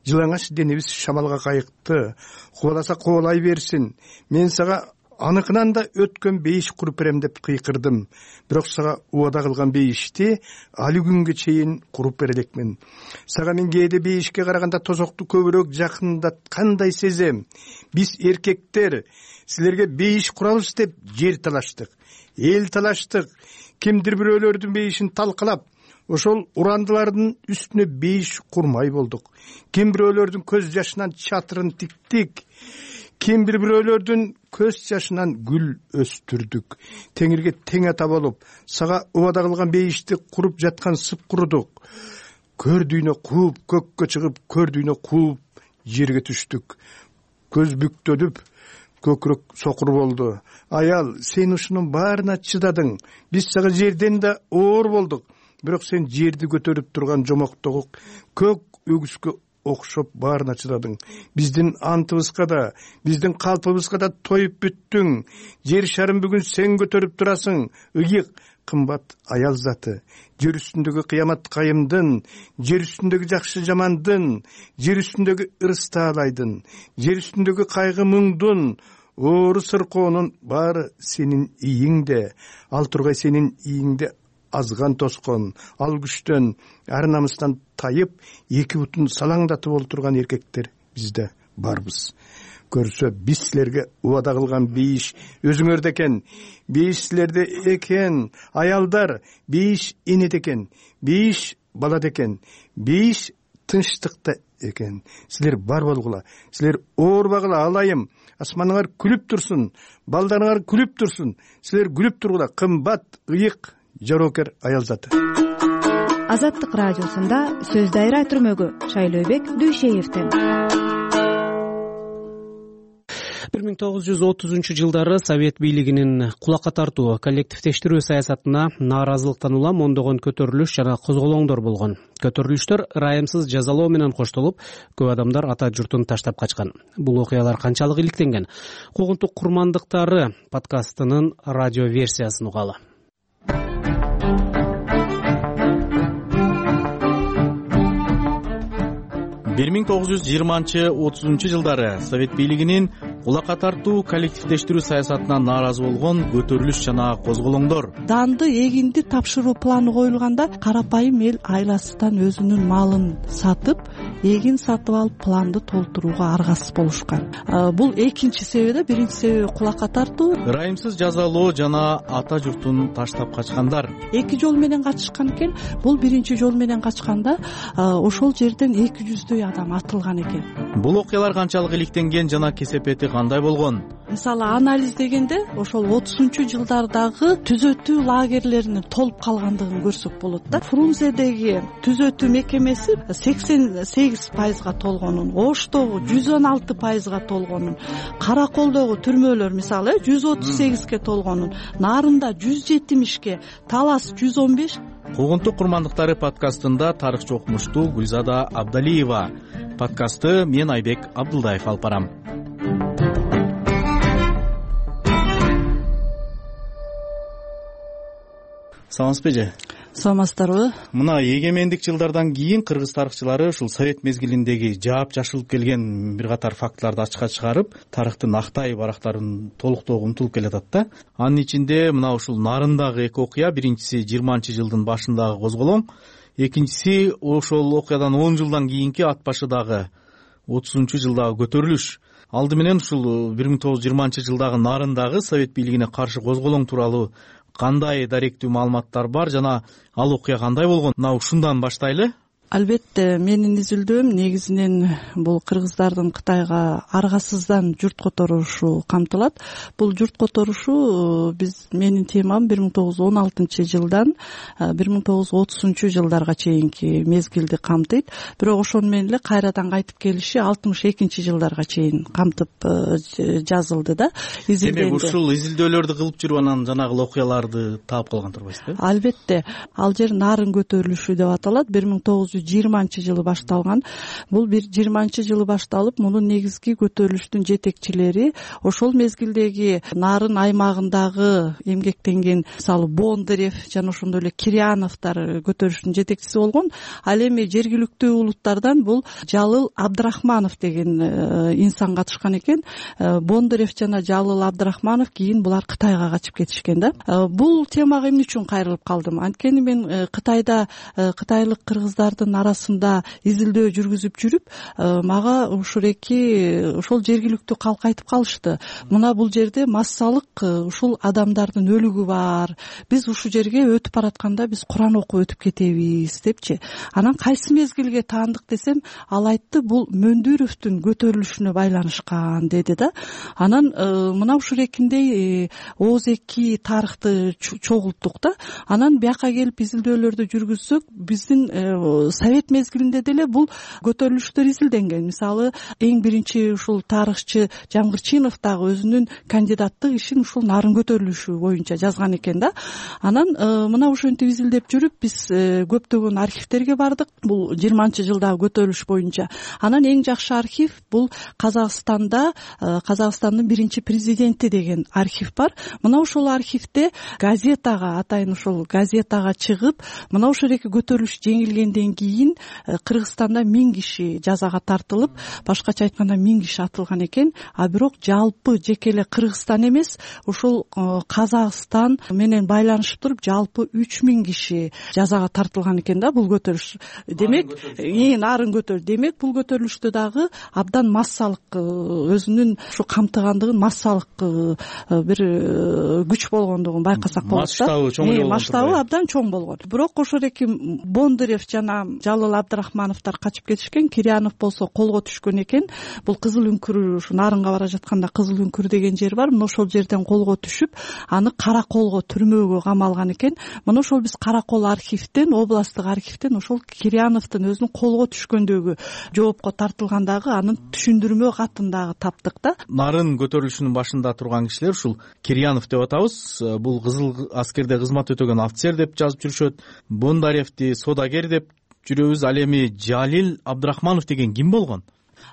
Жылаңач денебиз шамалга кайыкты. Кубаласа кубалай берсин. Мен сага аныкынан да өткөн бейиш куруп берем деп кыйкырдым. Бирок сага убада кылган бейишти али күнгө чейин куруп бере элекмин. Сага мен кээде бейишке караганда тозокту көбүрөөк жакындаткандай сезем. Биз эркектер силерге бейиш курабыз деп жер талаштык, эл талаштык. Кимдир бирөөлөрдүн бейишин талкалап, ошол урандылардын үстүнө бейиш курмай болдук. Ким бирөөлөрдүн көз жашынан чатырын тиктик. Ким бир бирөөлөрдүн көз жашынан гүл өстүрдүк. Теңирге тең ата болуп, сага убада кылган бейишти куруп жаткан сып курудук. Көрдүйнө кууп, көккө чыгып, көрдүйнө кууп, жерге түштүк. Көз бүктөлүп, көкүрөк сокур болду. Аял, сен ушунун баарына чыдадың. Биз сага жерден да оор болдук. Бирок сен жерди көтөрүп турган жомоктогу көк өгүскө окшоп баарына чыдадың. Биздин антыбызга да, биздин калпыбызга да тоюп бүттүң. Жер шарын бүгүн сен көтөрүп турасың. Ыйык, кымбат аял заты. Жер үстүндөгү кыямат кайымдын, жер үстүндөгү жакшы жамандын, жер үстүндөгү ырыс таалайдын, жер үстүндөгү кайгы муңдун, оору сыркоонун баары сенин ийиңде. Ал тургай сенин ийиңде азган тоскон, ал күчтөн, ар намыстан тайып, эки бутун салаңдатып олтурган эркектер бизде барбыз. Көрсө биз силерге убада кылган бейиш өзүңөрдө экен. Бейиш силерде экен. Аялдар, бейиш энеде экен. Бейиш балада экен. Бейиш тынчтыкта экен. Силер бар болгула. Силер оорбагыла, алайым. Асманыңар күлүп турсун, балдарыңар күлүп турсун. Силер күлүп тургула. Кымбат, ыйык, жарокер аял заты. Азаттык радиосунда сөз дайра түрмөгү Шайлообек Дүйшеевден. бир миң тогуз жүз отузунчу жылдары Совет бийлигинин кулакка тартуу, коллективдештирүү саясатына нааразылыктан улам ондогон көтөрүлүш жана козголоңдор болгон. Көтөрүлүштөр ырайымсыз жазалоо менен коштолуп, көп адамдар ата журтун таштап качкан. Бул окуялар канчалык иликтенген? Куугунтук курмандыктары подкастынын радио версиясын угалы. бир миң тогуз жүз жыйырманчы отузунчу жылдары Совет бийлигинин кулакка тартуу, коллективдештирүү саясатына нааразы болгон көтөрүлүш жана козголоңдор. Данды, эгинди тапшыруу планы коюлганда карапайым эл айласынан өзүнүн малын сатып, эгин сатып алып планды толтурууга аргасыз болушкан. Бул экинчи себеби, биринчи себеби кулакка тартуу. Ырайымсыз жазалоо жана ата журтун таштап качкандар. Эки жол менен качышкан экен. Бул биринчи жол менен качканда ошол жерден эки жүздөй адам атылган экен. Бул окуялар канчалык иликтенген жана кесепети кандай болгон? Мисалы анализ дегенде ошол отузунчу жылдардагы түзөтүү лагерлеринин толуп калгандыгын көрсөк болот да. Фрунзедеги түзөтүү мекемеси сексен сегиз пайызга толгонун, Оштогу жүз он алты пайызга толгонун, Караколдогу түрмөлөр мисалы жүз отуз сегизге толгонун, Нарында жүз жетимишке, Талас жүз он беш. Куугунтук курмандыктары подкастында тарыхчы окумуштуу Гүлзада Абдалиева. Подкастты мен Айбек Абдылдаев алып барам. Саламатсызбы эже? Саламатсыздарбы? Мына эгемендик жылдардан кийин кыргыз тарыхчылары ушул совет мезгилиндеги жаап жашылып келген бир катар фактыларды ачыкка чыгарып, тарыхтын актай барактарын толуктоого умтулуп келатат да. Анын ичинде мына ушул Нарындагы эки окуя, биринчиси жыйырманчы жылдын башындагы козголоң, экинчиси ошол окуядан он жылдан кийинки ат башыдагы отузунчу жылдагы көтөрүлүш. Алды менен ушул бир миң тогуз жүз жыйырманчы жылдагы Нарындагы совет бийлигине каршы козголоң тууралуу кандай даректүү маалыматтар бар жана ал окуя кандай болгон? Мына ушундан баштайлы. Албетте менин изилдөөм негизинен бул кыргыздардын Кытайга аргасыздан журт которушу камтылат. Бул журт которушу биз менин темам бир миң тогуз жүз он алтынчы жылдан бир миң тогуз жүз отузунчу жылдарга чейинки мезгилди камтыйт. Бирок ошону менен эле кайрадан кайтып келиши алтымыш экинчи жылдарга чейин камтып жазылды да. Демек ушул изилдөөлөрдү кылып жүрүп анан жанагы окуяларды таап калган турбайсызбы? Албетте. Ал жер нарын көтөрүлүшү деп аталат. бир миң тогуз жүз жыйырманчы жылы башталган. Бул бир жыйырманчы жылы башталып, мунун негизги көтөрүлүштүн жетекчилери ошол мезгилдеги нарын аймагындагы эмгектенген, мисалы, Бондарев жана ошондой эле Киряновдор көтөрүлүштүн жетекчиси болгон. Ал эми жергиликтүү улуттардан бул Жалыл Абдрахманов деген инсан катышкан экен. Бондарев жана Жалыл Абдрахманов кийин булар Кытайга качып кетишкен да. Бул темага эмне үчүн кайрылып калдым? Анткени мен Кытайда кытайлык кыргыздардын арасында изилдөө жүргүзүп жүрүп, мага ушуреки ошол жергиликтүү калк айтып калышты. Мына бул жерде массалык ушул адамдардын өлүгү бар. Биз ушул жерге өтүп баратканда биз Куран окуп өтүп кетебиз депчи. Анан кайсы мезгилге таандык десем, ал айтты, бул Мөндүровдун көтөрүлүшүнө байланышкан деди да. Анан мына ушурекиндей ооз эки тарыхты чогулттук да. Анан бияка келип изилдөөлөрдү жүргүзсөк, биздин совет мезгилинде деле бул көтөрүлүштөр изилденген. Мисалы, эң биринчи ушул тарыхчы Жамгырчинов дагы өзүнүн кандидаттык ишин ушул нарын көтөрүлүшү боюнча жазган экен да. Анан мына ошентип изилдеп жүрүп биз көптөгөн архивтерге бардык. Бул жыйырманчы жылдагы көтөрүлүш боюнча. Анан эң жакшы архив бул Казакстанда Казакстандын биринчи президенти деген архив бар. Мына ошол архивде газетага, атайын ошол газетага чыгып, мына ошол эки көтөрүлүш жеңилгенден кийин Кыргызстанда миң киши жазага тартылып, башкача айтканда миң киши атылган экен. А бирок жалпы жеке эле Кыргызстан эмес, ушул Казакстан менен байланышып туруп жалпы үч миң киши жазага тартылган экен да бул көтөрүлүш. Демек, эң нарын көтөр. Демек, бул көтөрүлүштө дагы абдан массалык өзүнүн ушу камтыгандыгын, массалык бир күч болгондугун байкасак болот да. Масштабы чоң болгон. Масштабы абдан чоң болгон. Бирок ошол эки Бондарев жана Жалыл Абдрахмановдор качып кетишкен. Кирянов болсо колго түшкөн экен. Бул Кызыл үңкүр, ушу нарынга бара жатканда Кызыл үңкүр деген жер бар. Мына ошол жерден колго түшүп, аны Караколго түрмөгө камалган экен. Мына ошол биз Каракол архивден, областтык архивден ошол Киряновдун өзүнүн колго түшкөндөгү жоопко тартылгандагы анын түшүндүрмө катын дагы таптык да. Нарын көтөрүлүшүнүн башында турган кишилер ушул Кирянов деп атабыз. Бул кызыл аскерде кызмат өтөгөн офицер деп жазып жүрүшөт. Бондаревди содагер деп жүрөбүз. Ал эми Жалил Абдрахманов деген ким болгон?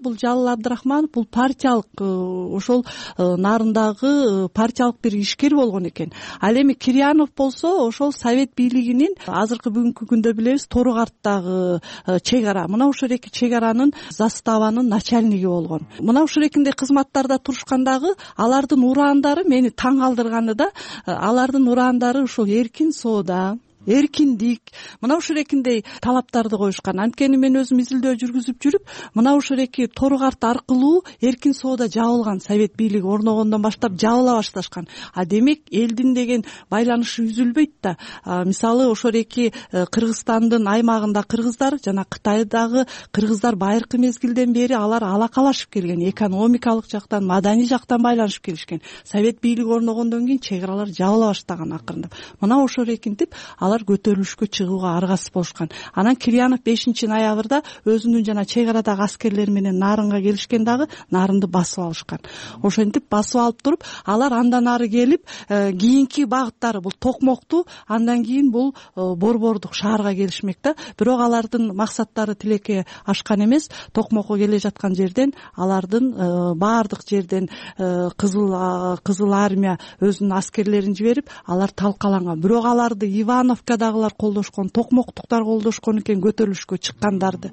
Бул Жалыл Абдрахманов бул партиялык ошол нарындагы партиялык бир ишкер болгон экен. Ал эми Кирянов болсо ошол совет бийлигинин азыркы бүгүнкү күндө билебиз Торугарттагы чек ара. Мына ошол эки чек аранын заставанын начальниги болгон. Мына ошол экиндей кызматтарда турушкандагы алардын ураандары мени таң калтырганы да, алардын ураандары ушул эркин соода, эркиндик, мына ушул экиндей талаптарды коюшкан. Анткени мен өзүм изилдөө жүргүзүп жүрүп, мына ушул эки Торугарт аркылуу эркин соода жабылган, совет бийлиги орногондон баштап жабыла башташкан. А демек элдин деген байланышы үзүлбөйт да. Мисалы, ошол эки Кыргызстандын аймагында кыргыздар жана Кытайдагы кыргыздар байыркы мезгилден бери алар алакалашып келген, экономикалык жактан, маданий жактан байланышып келишкен. Совет бийлиги орногондон кийин чек аралар жабыла баштаган акырындап. Мына ошол экинтип алар көтөрүлүшкө чыгууга аргасыз болушкан. Анан Кирянов бешинчи ноябрда өзүнүн жана чек арадагы аскерлери менен нарынга келишкен дагы нарынды басып алышкан. Ошентип басып алып туруп, алар андан ары келип, кийинки багыттары бул Токмокту, андан кийин бул Борбордук шаарга келишмек да. Бирок алардын максаттары тилекке ашкан эмес. Токмокко келе жаткан жерден алардын баардык жерден кызыл кызыл армия өзүнүн аскерлерин жиберип, алар талкаланган. Бирок аларды Иванов дагылар колдошкон, Токмоктуктар колдошкон экен көтөрүлүшкө чыккандарды.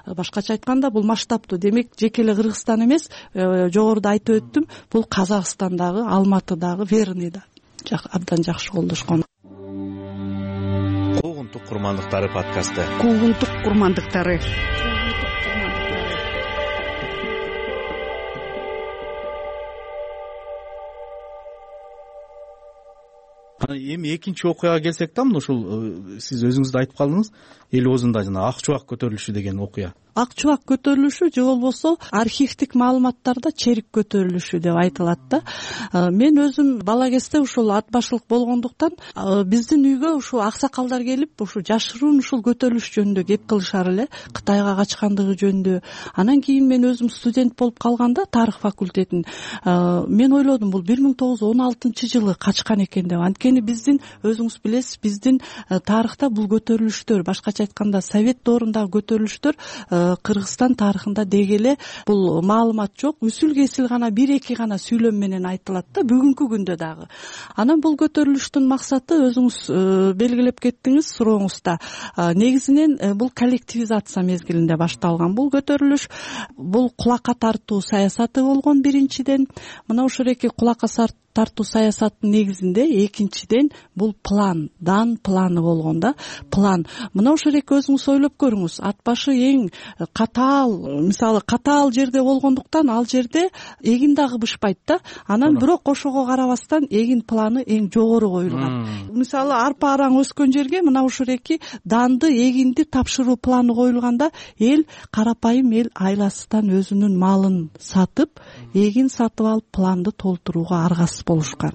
Башкача айтканда бул масштабтуу. Демек, жеке эле Кыргызстан эмес, жогоруда айтып өттүм, бул Казакстандагы, Алматыдагы, Верныйда абдан жакшы колдошкон. Куугунтук курмандыктары подкасты. Куугунтук курмандыктары. эми экинчи окуяга келсек да, мына ушул сиз өзүңүз да айтып калдыңыз, эл оозунда жана ак чубак көтөрүлүшү деген окуя. Ак чубак көтөрүлүшү же болбосо архивдик маалыматтарда черик көтөрүлүшү деп айтылат да. Мен өзүм бала кезде ушул ат башылык болгондуктан биздин үйгө ушул аксакалдар келип ушул жашыруун ушул көтөрүлүш жөнүндө кеп кылышар эле, Кытайга качкандыгы жөнүндө. Анан кийин мен өзүм студент болуп калганда тарых факультетин мен ойлодум, бул бир миң тогуз жүз он алтынчы жылы качкан экен деп. Анткени биздин өзүңүз билесиз, биздин тарыхта бул көтөрүлүштөр, башкача айтканда совет доорундагы көтөрүлүштөр Кыргызстан тарыхында деги эле бул маалымат жок, үсүл кесил гана бир эки гана сүйлөм менен айтылат да, бүгүнкү күндө дагы. Анан бул көтөрүлүштүн максаты өзүңүз белгилеп кеттиңиз сурооңузда. Негизинен бул коллективизация мезгилинде башталган бул көтөрүлүш. Бул кулакка тартуу саясаты болгон биринчиден. Мына ушул эки кулакка тартуу саясаттын негизинде экинчиден бул план, дан планы болгон да, план. Мына ушул эки өзүңүз ойлоп көрүңүз, ат башы эң катаал, мисалы катаал жерде болгондуктан ал жерде эгин дагы бышпайт да. Анан бирок ошого карабастан эгин планы эң жогору коюлган. Мисалы арпа араң өскөн жерге мына ушул эки данды, эгинди тапшыруу планы коюлганда, эл карапайым эл айласынан өзүнүн малын сатып, эгин сатып алып планды толтурууга аргасыз болушкан.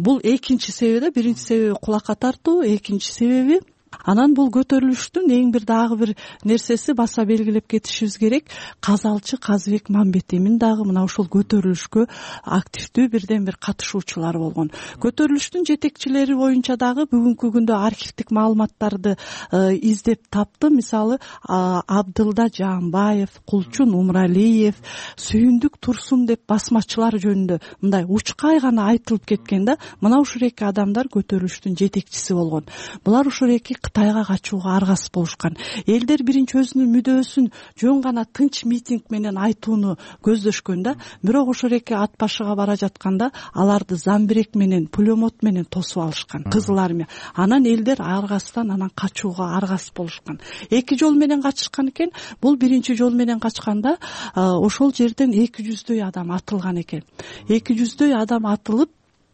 Бул экинчи себеби да, биринчи себеби кулакка тартуу, экинчи себеби анан бул көтөрүлүштүн эң бир дагы бир нерсеси баса белгилеп кетишибиз керек. Казалчы Казыбек Мамбетемин дагы мына ушул көтөрүлүшкө активдүү бирден бир катышуучулар болгон. Көтөрүлүштүн жетекчилери боюнча дагы бүгүнкү күндө архивдик маалыматтарды издеп таптым. Мисалы Абдылда Жаанбаев, Кулчун Умралиев, Сүйүндүк Турсун деп басмачылар жөнүндө мындай учкай гана айтылып кеткен да. Мына ушул эки адамдар көтөрүлүштүн жетекчиси болгон. Булар ушул эки Кытайга качууга аргасыз болушкан. Элдер биринчи өзүнүн мүдөөсүн жөн гана тынч митинг менен айтууну көздөшкөн да. Бирок ошол эки ат башыга бара жатканда аларды замбирек менен, пулемет менен тосуп алышкан, Кызыл армия. Анан элдер аргасыздан анан качууга аргасыз болушкан. Эки жол менен качышкан экен. Бул биринчи жол менен качканда ошол жерден эки жүздөй адам атылган экен. эки жүздөй адам атылып,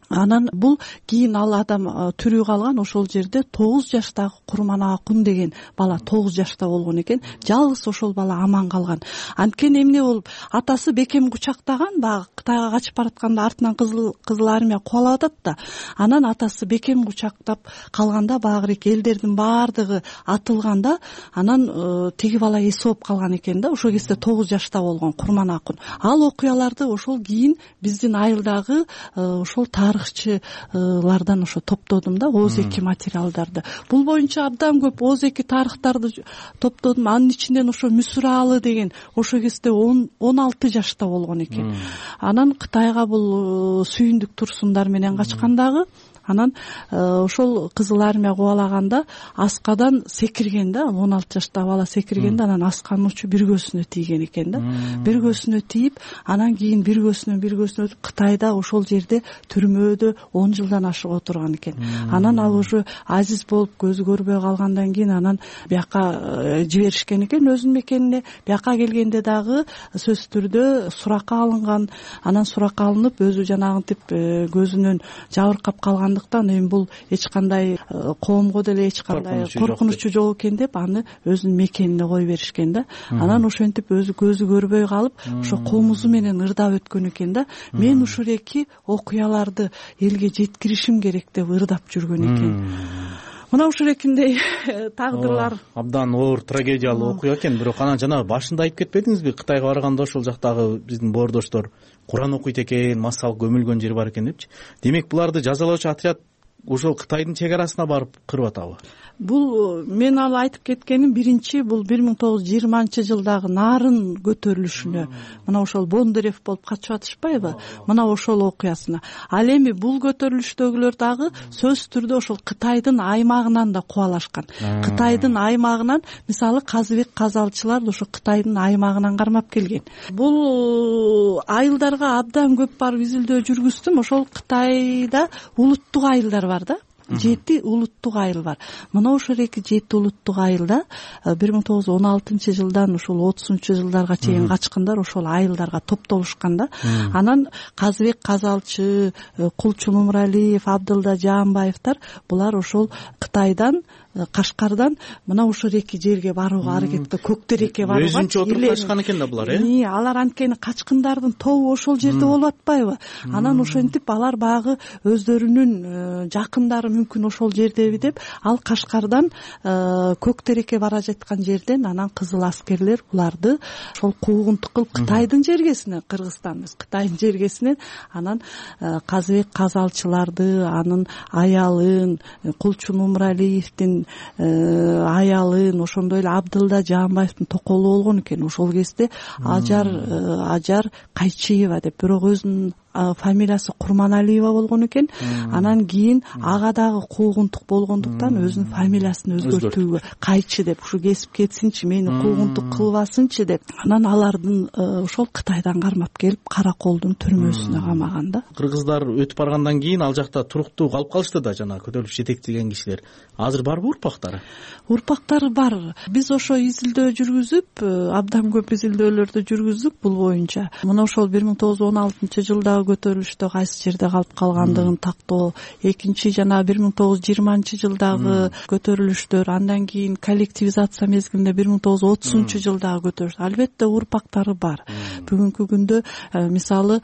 анан бул кийин ал адам тирүү калган. Ошол жерде тогуз жаштагы Курманакун деген бала тогуз жашта болгон экен. Жалгыз ошол бала аман калган. Анткени эмне болуп, атасы бекем кучактаган, баягы Кытайга качып баратканда артынан кызыл кызыл армия кубалап атат да. Анан атасы бекем кучактап калганда багырээк элдердин баардыгы атылганда, анан тиги бала эс алып калган экен да. Ошол кезде тогуз жашта болгон Курманакун. Ал окуяларды ошол кийин биздин айылдагы ошол тарыхчылардан ошо топтодум да, Оз эки материалдарды. Бул боюнча абдан көп Оз эки тарыхтарды топтодум. Анын ичинен ошо Мүсүралы деген ошол кезде он алты жашта болгон экен. Анан Кытайга бул Сүйүндүк Турсундар менен качкандагы. Анан ошол Кызыл армия кубалаганда аскадан секирген да, он алты жаштагы бала секиргенде, анан асканын учу бир көзүнө тийген экен да. Бир көзүнө тийип, анан кийин бир көзүнөн бир көзүнө өтүп, Кытайда ошол жерде түрмөдө он жылдан ашык отурган экен. Анан ал уже азиз болуп көзү көрбөй калгандан кийин анан бияка жиберишкен экен өзүнүн мекенине. Бияка келгенде дагы сөзсүз түрдө суракка алынган. Анан суракка алынып, өзү жанагынтип көзүнөн жабыркап калган. Эми бул эч кандай коомго деле эч кандай коркунучу жок экен деп аны өзүнүн мекенине кое беришкен да. Анан ошентип өзү көзү көрбөй калып, ошо комузу менен ырдап өткөн экен да. Мен ушул эки окуяларды элге жеткиришим керек деп ырдап жүргөн экен. Мына ушул экиндей тагдырлар абдан оор трагедиялуу окуя экен. Бирок анан жана башында айтып кетпедиңизби, Кытайга барганда ошол жактагы биздин боордоштор Куран окуйт экен, массалык көмүлгөн жери бар экен депчи. Демек буларды жазалоочу отряд ошол Кытайдын чек арасына барып кырып атабы? Бул мен ал айтып кеткеним биринчи бул бир миң тогуз жүз жыйырманчы жылдагы Нарын көтөрүлүшүнө, мына ошол Бондарев болуп качып атышпайбы? Мына ошол окуясына. Ал эми бул көтөрүлүштөгүлөр дагы сөзсүз түрдө ошол Кытайдын аймагынан да кубалашкан. Кытайдын аймагынан, мисалы Казыбек казалчылар ошо Кытайдын аймагынан кармап келген. Бул айылдарга абдан көп барып изилдөө жүргүздүм. Ошол Кытайда улуттук айылдар бар да. жети улуттук айыл бар. Мына ошол эки жети улуттук айылда бир миң тогуз жүз он алтынчы жылдан ушул отузунчу жылдарга чейин качкындар ошол айылдарга топтолушкан да. Анан Казыбек Казалчы, Кулчу Нумралиев, Абдылда Жаанбаевдер булар ошол Кытайдан, Кашкардан мына ушул эки жерге барууга аракетте, Көктерекке барууга өзүнчө отуруп качкан экен да булар, э? Алар анткени качкындардын тобу ошол жерде болуп атпайбы? Анан ошентип алар багы өздөрүнүн жакындары мүмкүн ошол жердеби деп, ал Кашкардан Көктерекке бара жаткан жерден анан кызыл аскерлер буларды ошол куугунтук кылып Кытайдын жергесине, Кыргызстан эмес, Кытайдын жергесине анан Казыбек Казалчыларды, анын аялын, Кулчу Нумралиевдин аялын, ошондой эле Абдылда Жаанбаевдин токолу болгон экен. Ошол кезде Ажар Ажар Кайчиева деп, бирок өзүнүн фамилиясы Курманалиева болгон экен. Анан кийин ага дагы куугунтук болгондуктан өзүнүн фамилиясын өзгөртүүгө, Кайчы деп, ушу кесип кетсинчи, мени куугунтук кылбасынчы деп, анан алардын ошол Кытайдан кармап келип Караколдун түрмөсүнө камаган да. Кыргыздар өтүп баргандан кийин ал жакта туруктуу калып калышты да, жана көтөрүлүш жетектеген кишилер. Азыр барбы урпактары? Урпактары бар. Биз ошо изилдөө жүргүзүп, абдан көп изилдөөлөрдү жүргүздүк бул боюнча. Мына ошол бир миң тогуз жүз он алтынчы жылдагы көтөрүлүштө кайсы жерде калып калгандыгын тактоо, экинчи жана бир миң тогуз жүз жыйырманчы жылдагы көтөрүлүштөр, андан кийин коллективизация мезгилинде бир миң тогуз жүз отузунчу жылдагы көтөрүлүш. Албетте урпактары бар. Бүгүнкү күндө мисалы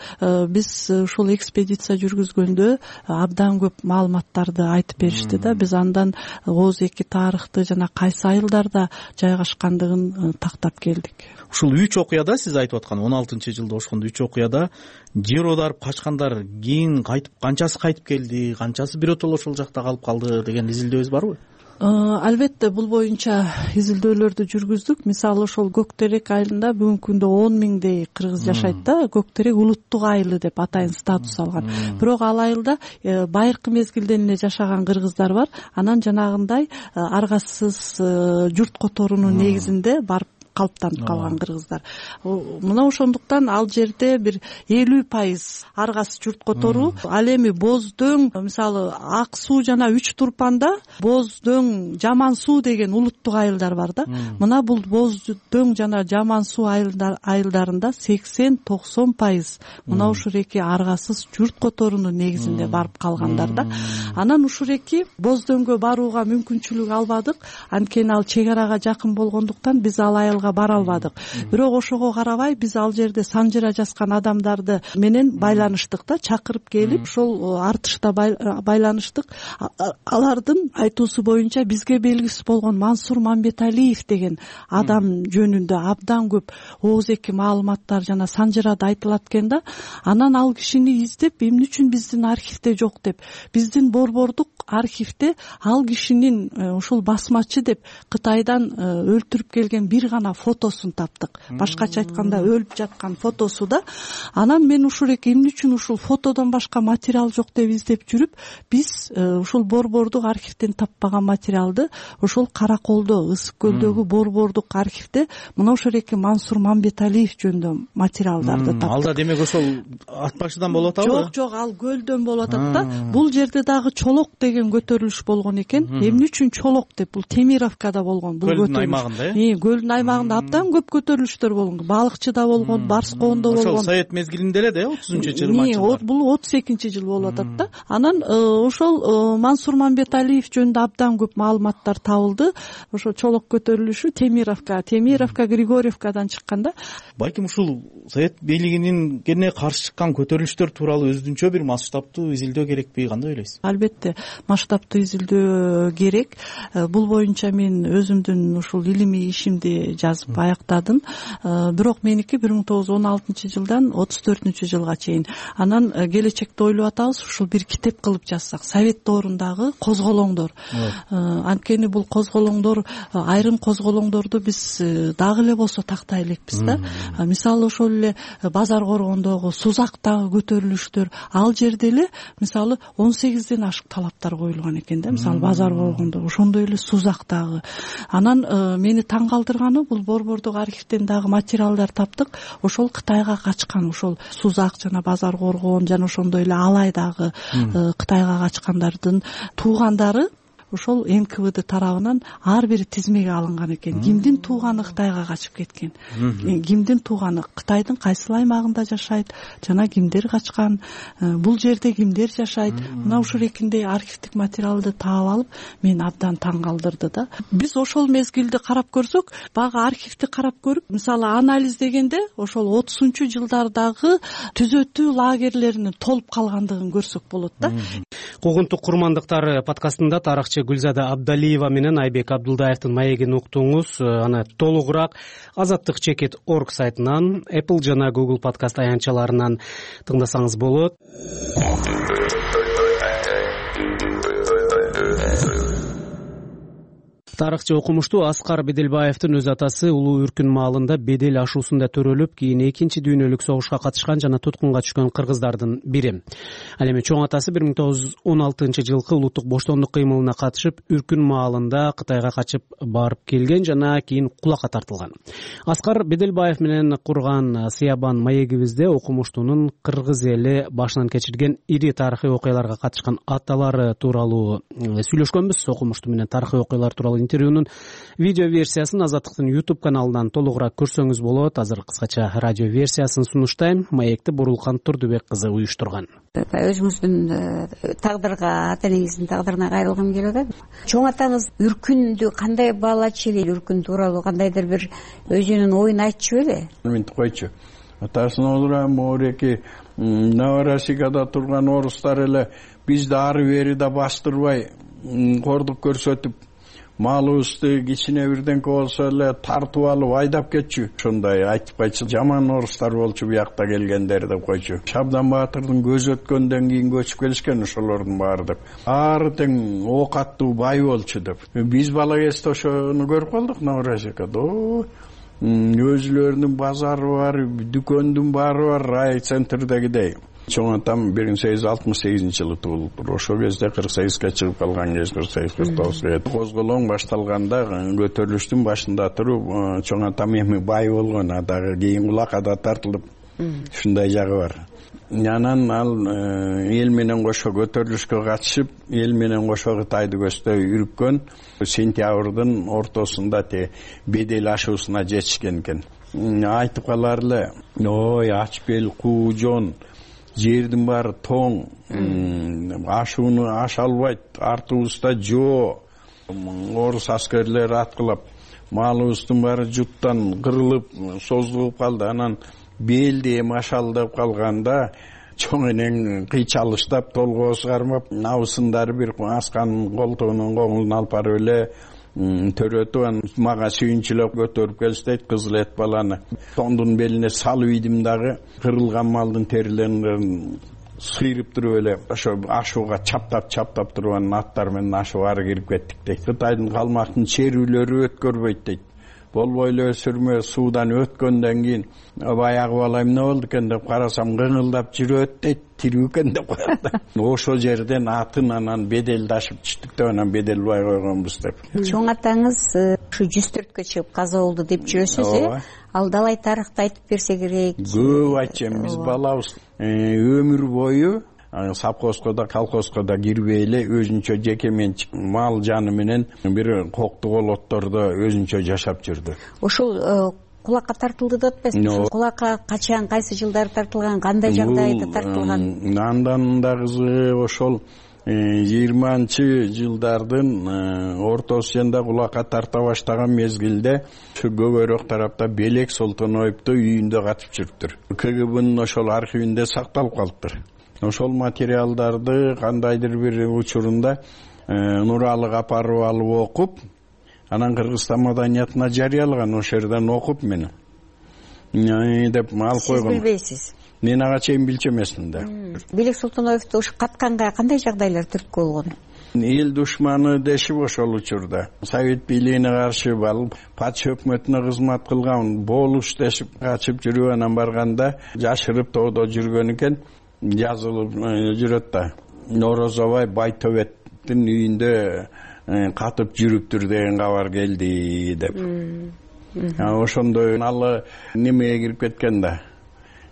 биз ушул экспедиция жүргүзгөндө абдан көп маалыматтарды айтып беришти да. Биз андан Оз эки тарыхты жана кайсы айылдарда жайгашкандыгын тактап келдик. Ушул үч окуяда, сиз айтып аткан он алтынчы жылда ошондо үч окуяда жер оодарып качкандар кийин кайтып, канчасы кайтып келди, канчасы биротоло ошол жакта калып калды деген изилдөөбүз барбы? Албетте бул боюнча изилдөөлөрдү жүргүздүк. Мисалы ошол Көктерек айылында бүгүнкү күндө он миңдей кыргыз жашайт да. Көктерек улуттук айылы деп атайын статус алган. Бирок ал айылда байыркы мезгилден эле жашаган кыргыздар бар. Анан жанагындай аргасыз журт которуунун негизинде барып калыптанып калган кыргыздар. Мына ошондуктан ал жерде бир элүү пайыз аргасыз журт которуу. Ал эми Боздоң, мисалы Ак суу жана Үч Турпанда Боздоң, Жаман суу деген улуттук айылдар бар да. Мына бул Боздоң жана Жаман суу айылдарында сексен токсон пайыз мына ушул эки аргасыз журт которуунун негизинде барып калгандар да. Анан ушул эки Боздоңгө барууга мүмкүнчүлүк албадык. Анткени ал чек арага жакын болгондуктан биз ал айылга бара албадык. Бирок ошого карабай биз ал жерде санжыра жазган адамдарды менен байланыштык да, чакырып келип ошол артышта байланыштык. Алардын айтуусу боюнча бизге белгисиз болгон Мансур Мамбеталиев деген адам жөнүндө абдан көп ооз эки маалыматтар жана санжырада айтылат экен да. Анан ал кишини издеп, эмне үчүн биздин архивде жок деп, биздин борбордук архивде ал кишинин ушул басмачы деп Кытайдан өлтүрүп келген бир гана фотосун таптык. Башкача айтканда өлүп жаткан фотосу да. Анан мен ушул эки эмне үчүн ушул фотодон башка материал жок деп издеп жүрүп, биз ушул борбордук архивден таппаган материалды ошол Караколдо, Ысык көлдөгү борбордук архивде мына ошол эки Мансур Мамбеталиев жөнүндө материалдарды таптык. Алда демек ошол ат башыдан болуп атабы? Жок, жок, ал көлдөн болуп атат да. Бул жерде дагы Чолок деген көтөрүлүш болгон экен. Эмне үчүн Чолок деп? Бул Темировкада болгон бул көтөрүлүш. Көлдүн аймагында, э? Көлдүн аймагында абдан көп көтөрүлүштөр болгон. Балыкчыда болгон, Барскондо болгон. Ошол Совет мезгилинде эле да, отузунчу жыйырманчы жылдар. Бул отуз экинчи жыл болуп атат да. Анан ошол Мансур Мамбеталиев жөнүндө абдан көп маалыматтар табылды. Ошо Чолок көтөрүлүшү Темировка, Темировка, Григорьевкадан чыккан да. Балким ушул Совет бийлигинин кене каршы чыккан көтөрүлүштөр тууралуу өзүнчө бир масштабтуу изилдөө керекпи, кандай ойлойсуз? Албетте, масштабтуу изилдөө керек. Бул боюнча мен өзүмдүн ушул илимий ишимди жазып аяктадым. Бирок меники бир миң тогуз жүз он алтынчы жылдан отуз төртүнчү жылга чейин. Анан келечекте ойлоп атабыз, ушул бир китеп кылып жазсак, Совет доорундагы козголоңдор. Анткени бул козголоңдор, айрым козголоңдорду биз дагы эле болсо тактай элекпиз да. Мисалы ошол эле Базар Коргондогу, Сузактагы көтөрүлүштөр, ал жерде эле мисалы он сегизден ашык талаптар коюлган экен да. Мисалы Базар Коргондо, ошондой эле Сузактагы. Анан мени таң калтырганы бул борбордук архивден дагы материалдар таптык. Ошол Кытайга качкан, ошол Сузак жана Базар Коргон жана ошондой эле Алайдагы Кытайга качкандардын туугандары ошол эн ка вэ дэ тарабынан ар бири тизмеге алынган экен. Кимдин тууганы Кытайга качып кеткен, кимдин тууганы Кытайдын кайсыл аймагында жашайт жана кимдер качкан, бул жерде кимдер жашайт. Мына ушул экиндей архивдик материалды таап алып, мени абдан таң калтырды да. Биз ошол мезгилди карап көрсөк, баягы архивди карап көрүп, мисалы анализдегенде ошол отузунчу жылдардагы түзөтүү лагерлеринин толуп калгандыгын көрсөк болот да. Куугунтук курмандыктар подкастында тарыхчы Гүлзада Абдалиева менен Айбек Абдулдаевдин маегин уктуңуз. Аны толугураак азаттык чекит точка орг сайтынан, Apple жана Google подкаст аянтчаларынан тыңдасаңыз болот. Тарыхчы окумуштуу Аскар Беделбаевдин өз атасы улуу үркүн маалында бедел ашуусунда төрөлүп, кийин экинчи дүйнөлүк согушка катышкан жана туткунга түшкөн кыргыздардын бири. Ал эми чоң атасы бир миң тогуз жүз он алтынчы жылкы улуттук боштондук кыймылына катышып, үркүн маалында Кытайга качып барып келген жана кийин кулакка тартылган. Аскар Беделбаев менен курган Сыябан маегибизде окумуштуунун кыргыз эли башынан кечирген ири тарыхый окуяларга катышкан аталары тууралуу сүйлөшкөнбүз. Окумуштуу менен тарыхый окуялар тууралуу интервьюнун видео версиясын Азаттыктын YouTube каналынан толугураак көрсөңүз болот. Азыр кыскача радио версиясын сунуштайм. Маекти Бурулкан Турдубек кызы уюштурган. Өзүңүздүн тагдырга, ата энеңиздин тагдырына кайрылгым келип атат. Чоң атаңыз үркүндү кандай баалачу эле, үркүн тууралуу кандайдыр бир өзүнүн оюн айтчу беле? Мен койчу. Атасын олора мореки Новороссийгада турган орустар эле бизди ары бери да бастырбай кордук көрсөтүп, малыбызды кичине бирденке болсо эле тартып алып айдап кетчү. Ошондой айтып кайтчу, жаман орустар болчу буякта келгендер деп койчу. Шабдан Баатырдын көзү өткөндөн кийин көчүп келишкен ошолордун баары деп. Ары тең ок аттуу бай болчу деп. Биз бала кезде ошону көрүп калдык Новороссийгада. Өзүлөрүнүн базары бар, дүкөндүн баары бар, рай центрдегидей. Чоң атам бир миң сегиз жүз алтымыш сегизинчи жылы туулуптур. Ошол кезде кырк сегизге чыгып калган кез кырк сегиз кырк тогузга. Козголоң башталганда көтөрүлүштүн башында туруп, чоң атам эми бай болгон, дагы кийин кулакка тартылып, ушундай жагы бар. Анан ал эл менен кошо көтөрүлүшкө катышып, эл менен кошо Кытайды көздөй үрүккөн. Сентябрдын ортосунда те бедел ашуусуна жетишкен экен. Айтып калар эле, ой, ач бел, куу жон, жердин баары тоң, ашууну аша албайт, артыбызда жоо, орус аскерлери аткылап, малыбыздын баары жуттан кырылып, создугуп калды. Анан белди эми ашалдап калганда, чоң энең кыйчалыштап, толгоосу кармап, набысындары бир асканын колтугунун коңулун алып барып эле төрөтүп, мага сүйүнчүлөп көтөрүп келиштейт кызыл эт баланы. Тондун белине салып ийдим дагы, кырылган малдын терилерин сыйрып туруп эле ошо ашууга чаптап чаптап туруп анан аттар менен ашып ары кирип кеттик дейт. Кытайдын калмактын черүүлөрү өткөрбөйт дейт. Болбой эле өсүрмө суудан өткөндөн кийин баягы бала эмне болду экен деп карасам кыңылдап жүрөт дейт, тирүү экен деп коет. Ошол жерден атын анан беделдашып түштүк деп анан Беделбай койгонбуз деп. Чоң атаңыз ушу жүз төрткө чыгып каза болду деп жүрөсүз, э? Ал далай тарыхты айтып берсе керек. Көп айтчам, биз балабыз өмүр бою совхозго да колхозго да кирбей эле өзүнчө жеке менчик мал жаны менен бир кокту колоттордо өзүнчө жашап жүрдү. Ошол кулакка тартылды деп атпайсызбы? Кулакка качан, кайсы жылдары тартылган, кандай жагдайда тартылган? Андан да кызыгы ошол жыйырманчы жылдардын ортосунда кулакка тарта баштаган мезгилде ушу Көбөрөк тарапта Белек Солтоноевду үйүндө катып жүрүптүр. ка гэ бнын ошол архивинде сакталып калыптыр. Ошол материалдарды кандайдыр бир учурунда Нуралык апарып алып окуп, анан Кыргызстан маданиятына жарыялаган. Ошол жерден окуп мен деп алып койгон. Сиз билбейсиз? Мен ага чейин билчү эмесмин да. Белек Солтоноевду ушу катканга кандай жагдайлар түрткү болгон? Эл душманы дешип ошол учурда Совет бийлигине каршы алып, патша өкмөтүнө кызмат кылган болуш дешип качып жүрүп анан барганда жашырып тоодо жүргөн экен. Жазылып жүрөт да. Орозобай Байтөбеттин үйүндө катып жүрүптүр деген кабар келди деп. ошондой ал немеге кирип кеткен да,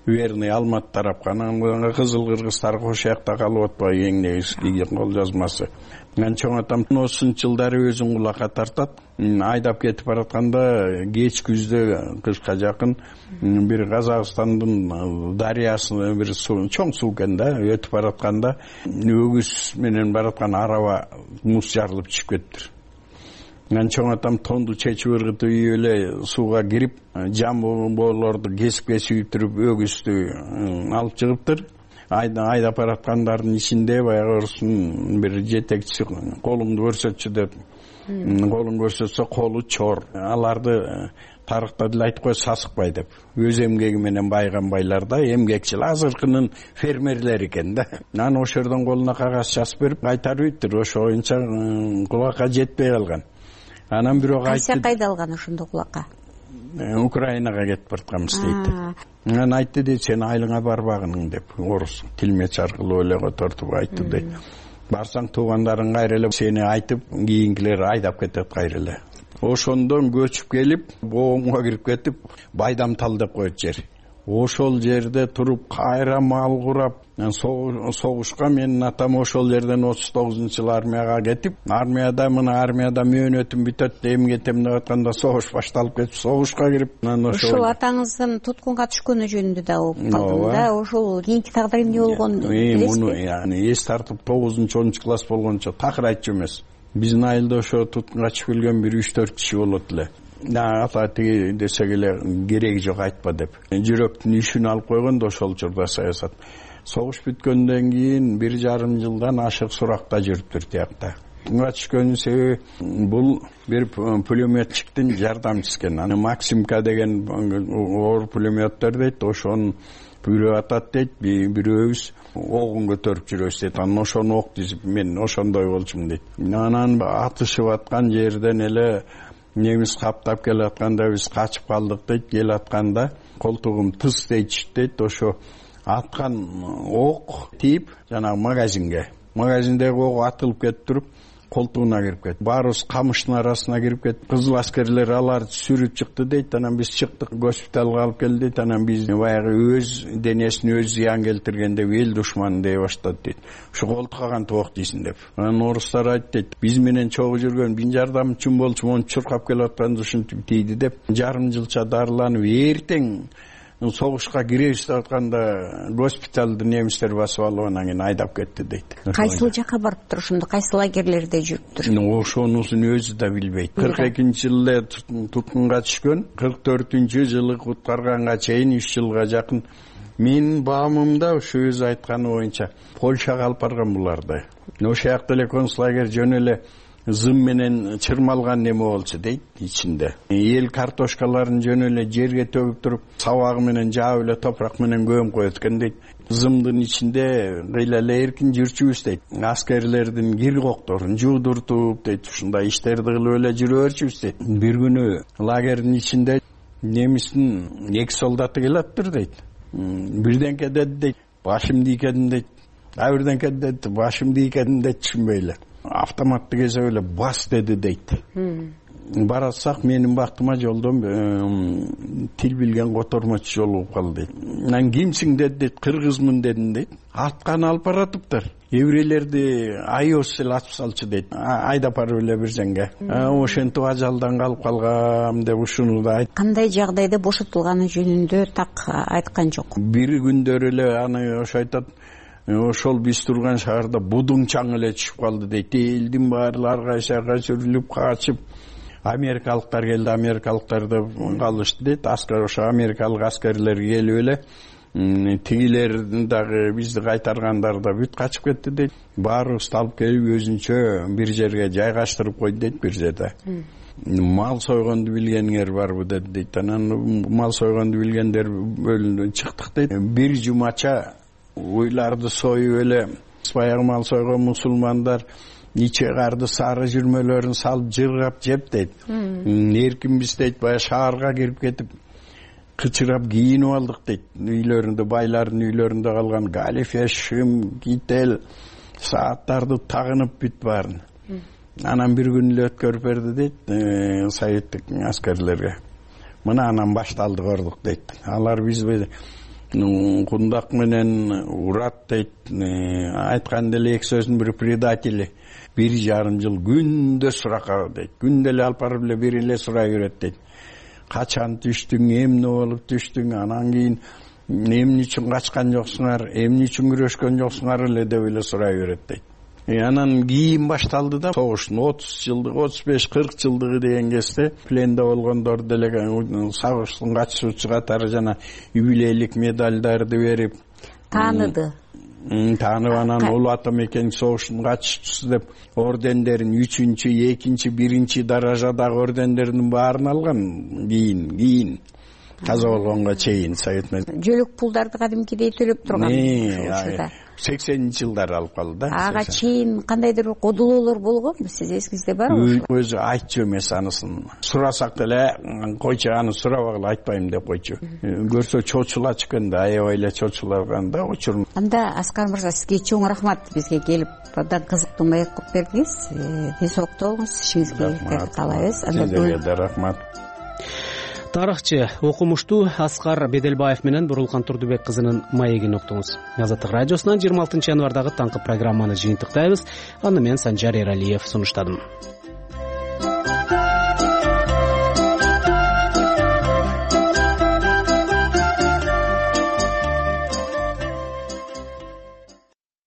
верный Алматы тарапка. Анан Кызыл Кыргыздар кош жакта калып атпайбы, эң негизги кол жазмасы. Мен чоң атам отузунчу жылдары өзүн кулакка тартат. Айдап кетип баратканда кеч күздө кышка жакын бир Казакстандын дарыясына бир суу, чоң суу экен да, өтүп баратканда өгүз менен бараткан араба муз жарылып чыгып кетиптир. Мен чоң атам тонду чечип ыргытып ийип эле сууга кирип, жамбоолорду кесип-кесип туруп өгүздү алып чыгыптыр. Айдап бараткандардын ичинде баягы орустун бир жетекчиси колуңду көрсөтчү деп, колун көрсөтсө колу чор. Аларды тарыхта деле айтып кой, сасыкбай деп. Өз эмгеги менен байган байлар да, эмгекчил, азыркынын фермерлери экен да. Анан ошол жерден колуна кагаз жазып берип кайтарып иттир. Ошо боюнча кулакка жетпей калган. Анан бирок айтты. Кайсы кайда алган ошондо кулакка? Украинага кетип баратканбыз дейт. Анан айтты дейт, сен айылыңа барбагының деп, орус тилмеч аркылуу эле котортуп айтты дейт. Барсаң туугандарың кайра эле сени айтып, кийинкилер айдап кетет кайра эле. Ошондон көчүп келип, боомго кирип кетип, Байдамтал деп коет жер. Ошол жерде туруп кайра мал курап, согушка менин атам ошол жерден отуз тогузунчу жылы армияга кетип, армияда мына армияда мөөнөтүм бүтөт деп кетем деп атканда согуш башталып кетип, согушка кирип, анан ошол атаңыздын туткунга түшкөнү жөнүндө да угуп калдым да. Ошол кийинки тагдыры эмне болгон билесизби? Муну яны эс тартып тогузунчу онунчу класс болгончо такыр айтчу эмес. Биздин айылда ошо туткунга чыгып келген бир үч төрт киши болот эле. Ата тиги десек эле кереги жок айтпа деп. Жүрөктүн ишин алып койгон да ошол учурда саясат. Согуш бүткөндөн кийин бир жарым жылдан ашык суракта жүрүптүр тиякта. Буга түшкөнүн себеби бул бир пулеметчиктин жардамчысы экен. Аны Максимка деген оор пулеметтер дейт, ошонун бирөө атат дейт, бирөөбүз огун көтөрүп жүрөбүз дейт. Анан ошону ок дизип мен ошондой болчумун дейт. Анан атышып аткан жерден эле немис каптап келатканда биз качып калдык дейт. Келатканда колтугум тыз дейт дейт. Ошо аткан ок тип жанагы магазинге, магазиндеги ок атылып кетип туруп колтугуна кирип кетти. Баарыбыз камыштын арасына кирип кеттик. Кызыл аскерлер аларды сүрүп чыкты дейт. Анан биз чыктык, госпиталга алып келди дейт. Анан биз баягы өз денесине өз зыян келтирген деп эл душманы дей баштады дейт. Ушу колтук каган ок дейсиң деп. Анан орустар айтты дейт, биз менен чогуу жүргөн бин жардамчым болчу, монтип чуркап келатканда ушинтип тийди деп. Жарым жылча дарыланып эртең согушка киребиз деп атканда госпиталды немистер басып алып анан кийин айдап кетти дейт. Кайсыл жака барыптыр ошондо, кайсы лагерлерде жүрүптүр? Ошонусун өзү да билбейт. кырк экинчи жылы туткунга түшкөн, кырк төртүнчү жылы куткарганга чейин үч жылга жакын менин баамымда ушу өзү айтканы боюнча Польшага алып барган буларды. Ошол жакта эле концлагер жөн эле зым менен чырмалган неме болчу дейт ичинде. Эл картошкаларын жөн эле жерге төгүп туруп, сабагы менен жаап эле топурак менен көмүп коет экен дейт. Зымдын ичинде кыйла эле эркин жүрчүбүз дейт. Аскерлердин кир кокторун жуудуртуп дейт, ушундай иштерди кылып эле жүрө берчүбүз дейт. Бир күнү лагердин ичинде немистин эки солдаты келаптыр дейт. Бирденке деди дейт, башым ийкедим дейт. А бирденке деди, башым ийкедим дейт, түшүнбөй эле. Автоматты кезеп эле бас деди дейт. Баратсак менин бактыма жолдон тил билген котормочу жолугуп калды дейт. Анан кимсиң деди дейт, кыргызмын дедим дейт. Атканы алып баратыптыр. Еврейлерди айос эле атып салчу дейт. Айдап барып эле бир жерге. Ошентип ажалдан калып калгам деп ушуну да айт. Кандай жагдайда бошотулганы жөнүндө так айткан жок. Бир күндөр эле аны ошо айтат. Ошол биз турган шаарда будуң чаң эле түшүп калды дейт. Элдин баары ар кайсыга сүрүлүп качып, америкалыктар келди, америкалыктар да калышты дейт. Аскер ошо америкалык аскерлер келип эле тигилердин дагы бизди кайтаргандар да бүт качып кетти дейт. Баарыбызды алып келип өзүнчө бир жерге жайгаштырып койду дейт, бир жерде. Мал сойгонду билгениңер барбы деди дейт. Анан мал сойгонду билгендер бөлүндү чыктык дейт. Бир жумача уйларды союп эле баягы мал сойгон мусулмандар иче карды сары жүрмөлөрүн салып жыргап жеп дейт. Эркинбиз дейт, баягы шаарга кирип кетип кычырап кийинип алдык дейт. Үйлөрүндө, байлардын үйлөрүндө калган галифе, шым, кител, сааттарды тагынып бүт баарын. Анан бир күн эле өткөрүп берди дейт советтик аскерлерге. мына анан башталды корлук дейт. Алар бизби кундак менен урат дейт. Айтканда эле эки сөздүн бири предатели. Бир жарым жыл күндө суракка дейт. Күндө эле алып барып эле бир эле сурай берет дейт. Качан түштүң, эмне болуп түштүң, анан кийин эмне үчүн качкан жоксуңар, эмне үчүн күрөшкөн жоксуңар эле деп эле сурай берет дейт. Анан кийин башталды да согуштун отуз жылдыгы, отуз беш кырк жылдыгы деген кезде пленде болгондор деле согуштун катышуучу катары жана юбилейлик медалдарды берип тааныды. Таанып анан улуу ата мекен согуштун катышуучусу деп ордендерин үчүнчү, экинчи, биринчи даражадагы ордендердин баарын алган. Кийин кийин каза болгонго чейин совет жөлөк пулдарды кадимкидей төлөп турган. сексенинчи жылдары алып калды да. Ага чейин кандайдыр бир кодулоолор болгонбу, сиз эсиңизде барбы? Өзү айтчу эмес анысын. Сурасак эле койчу, аны сурабагыла айтпайм деп койчу. Көрсө чочулачу экен да, аябай эле чочулаган да учур. Анда Аскар мырза, сизге чоң рахмат, бизге келип абдан кызыктуу маек кылып бердиңиз. Тез окто болуңуз, ишиңизге каалайбыз. Сизге да рахмат. Тарыхчы, окумуштуу Аскар Беделбаев менен Бурулкан Турдубек кызынын маегин уктуңуз. Азаттык радиосунан жыйырма алтынчы январдагы таңкы программаны жыйынтыктайбыз. Аны мен Санжар Эралиев сунуштадым.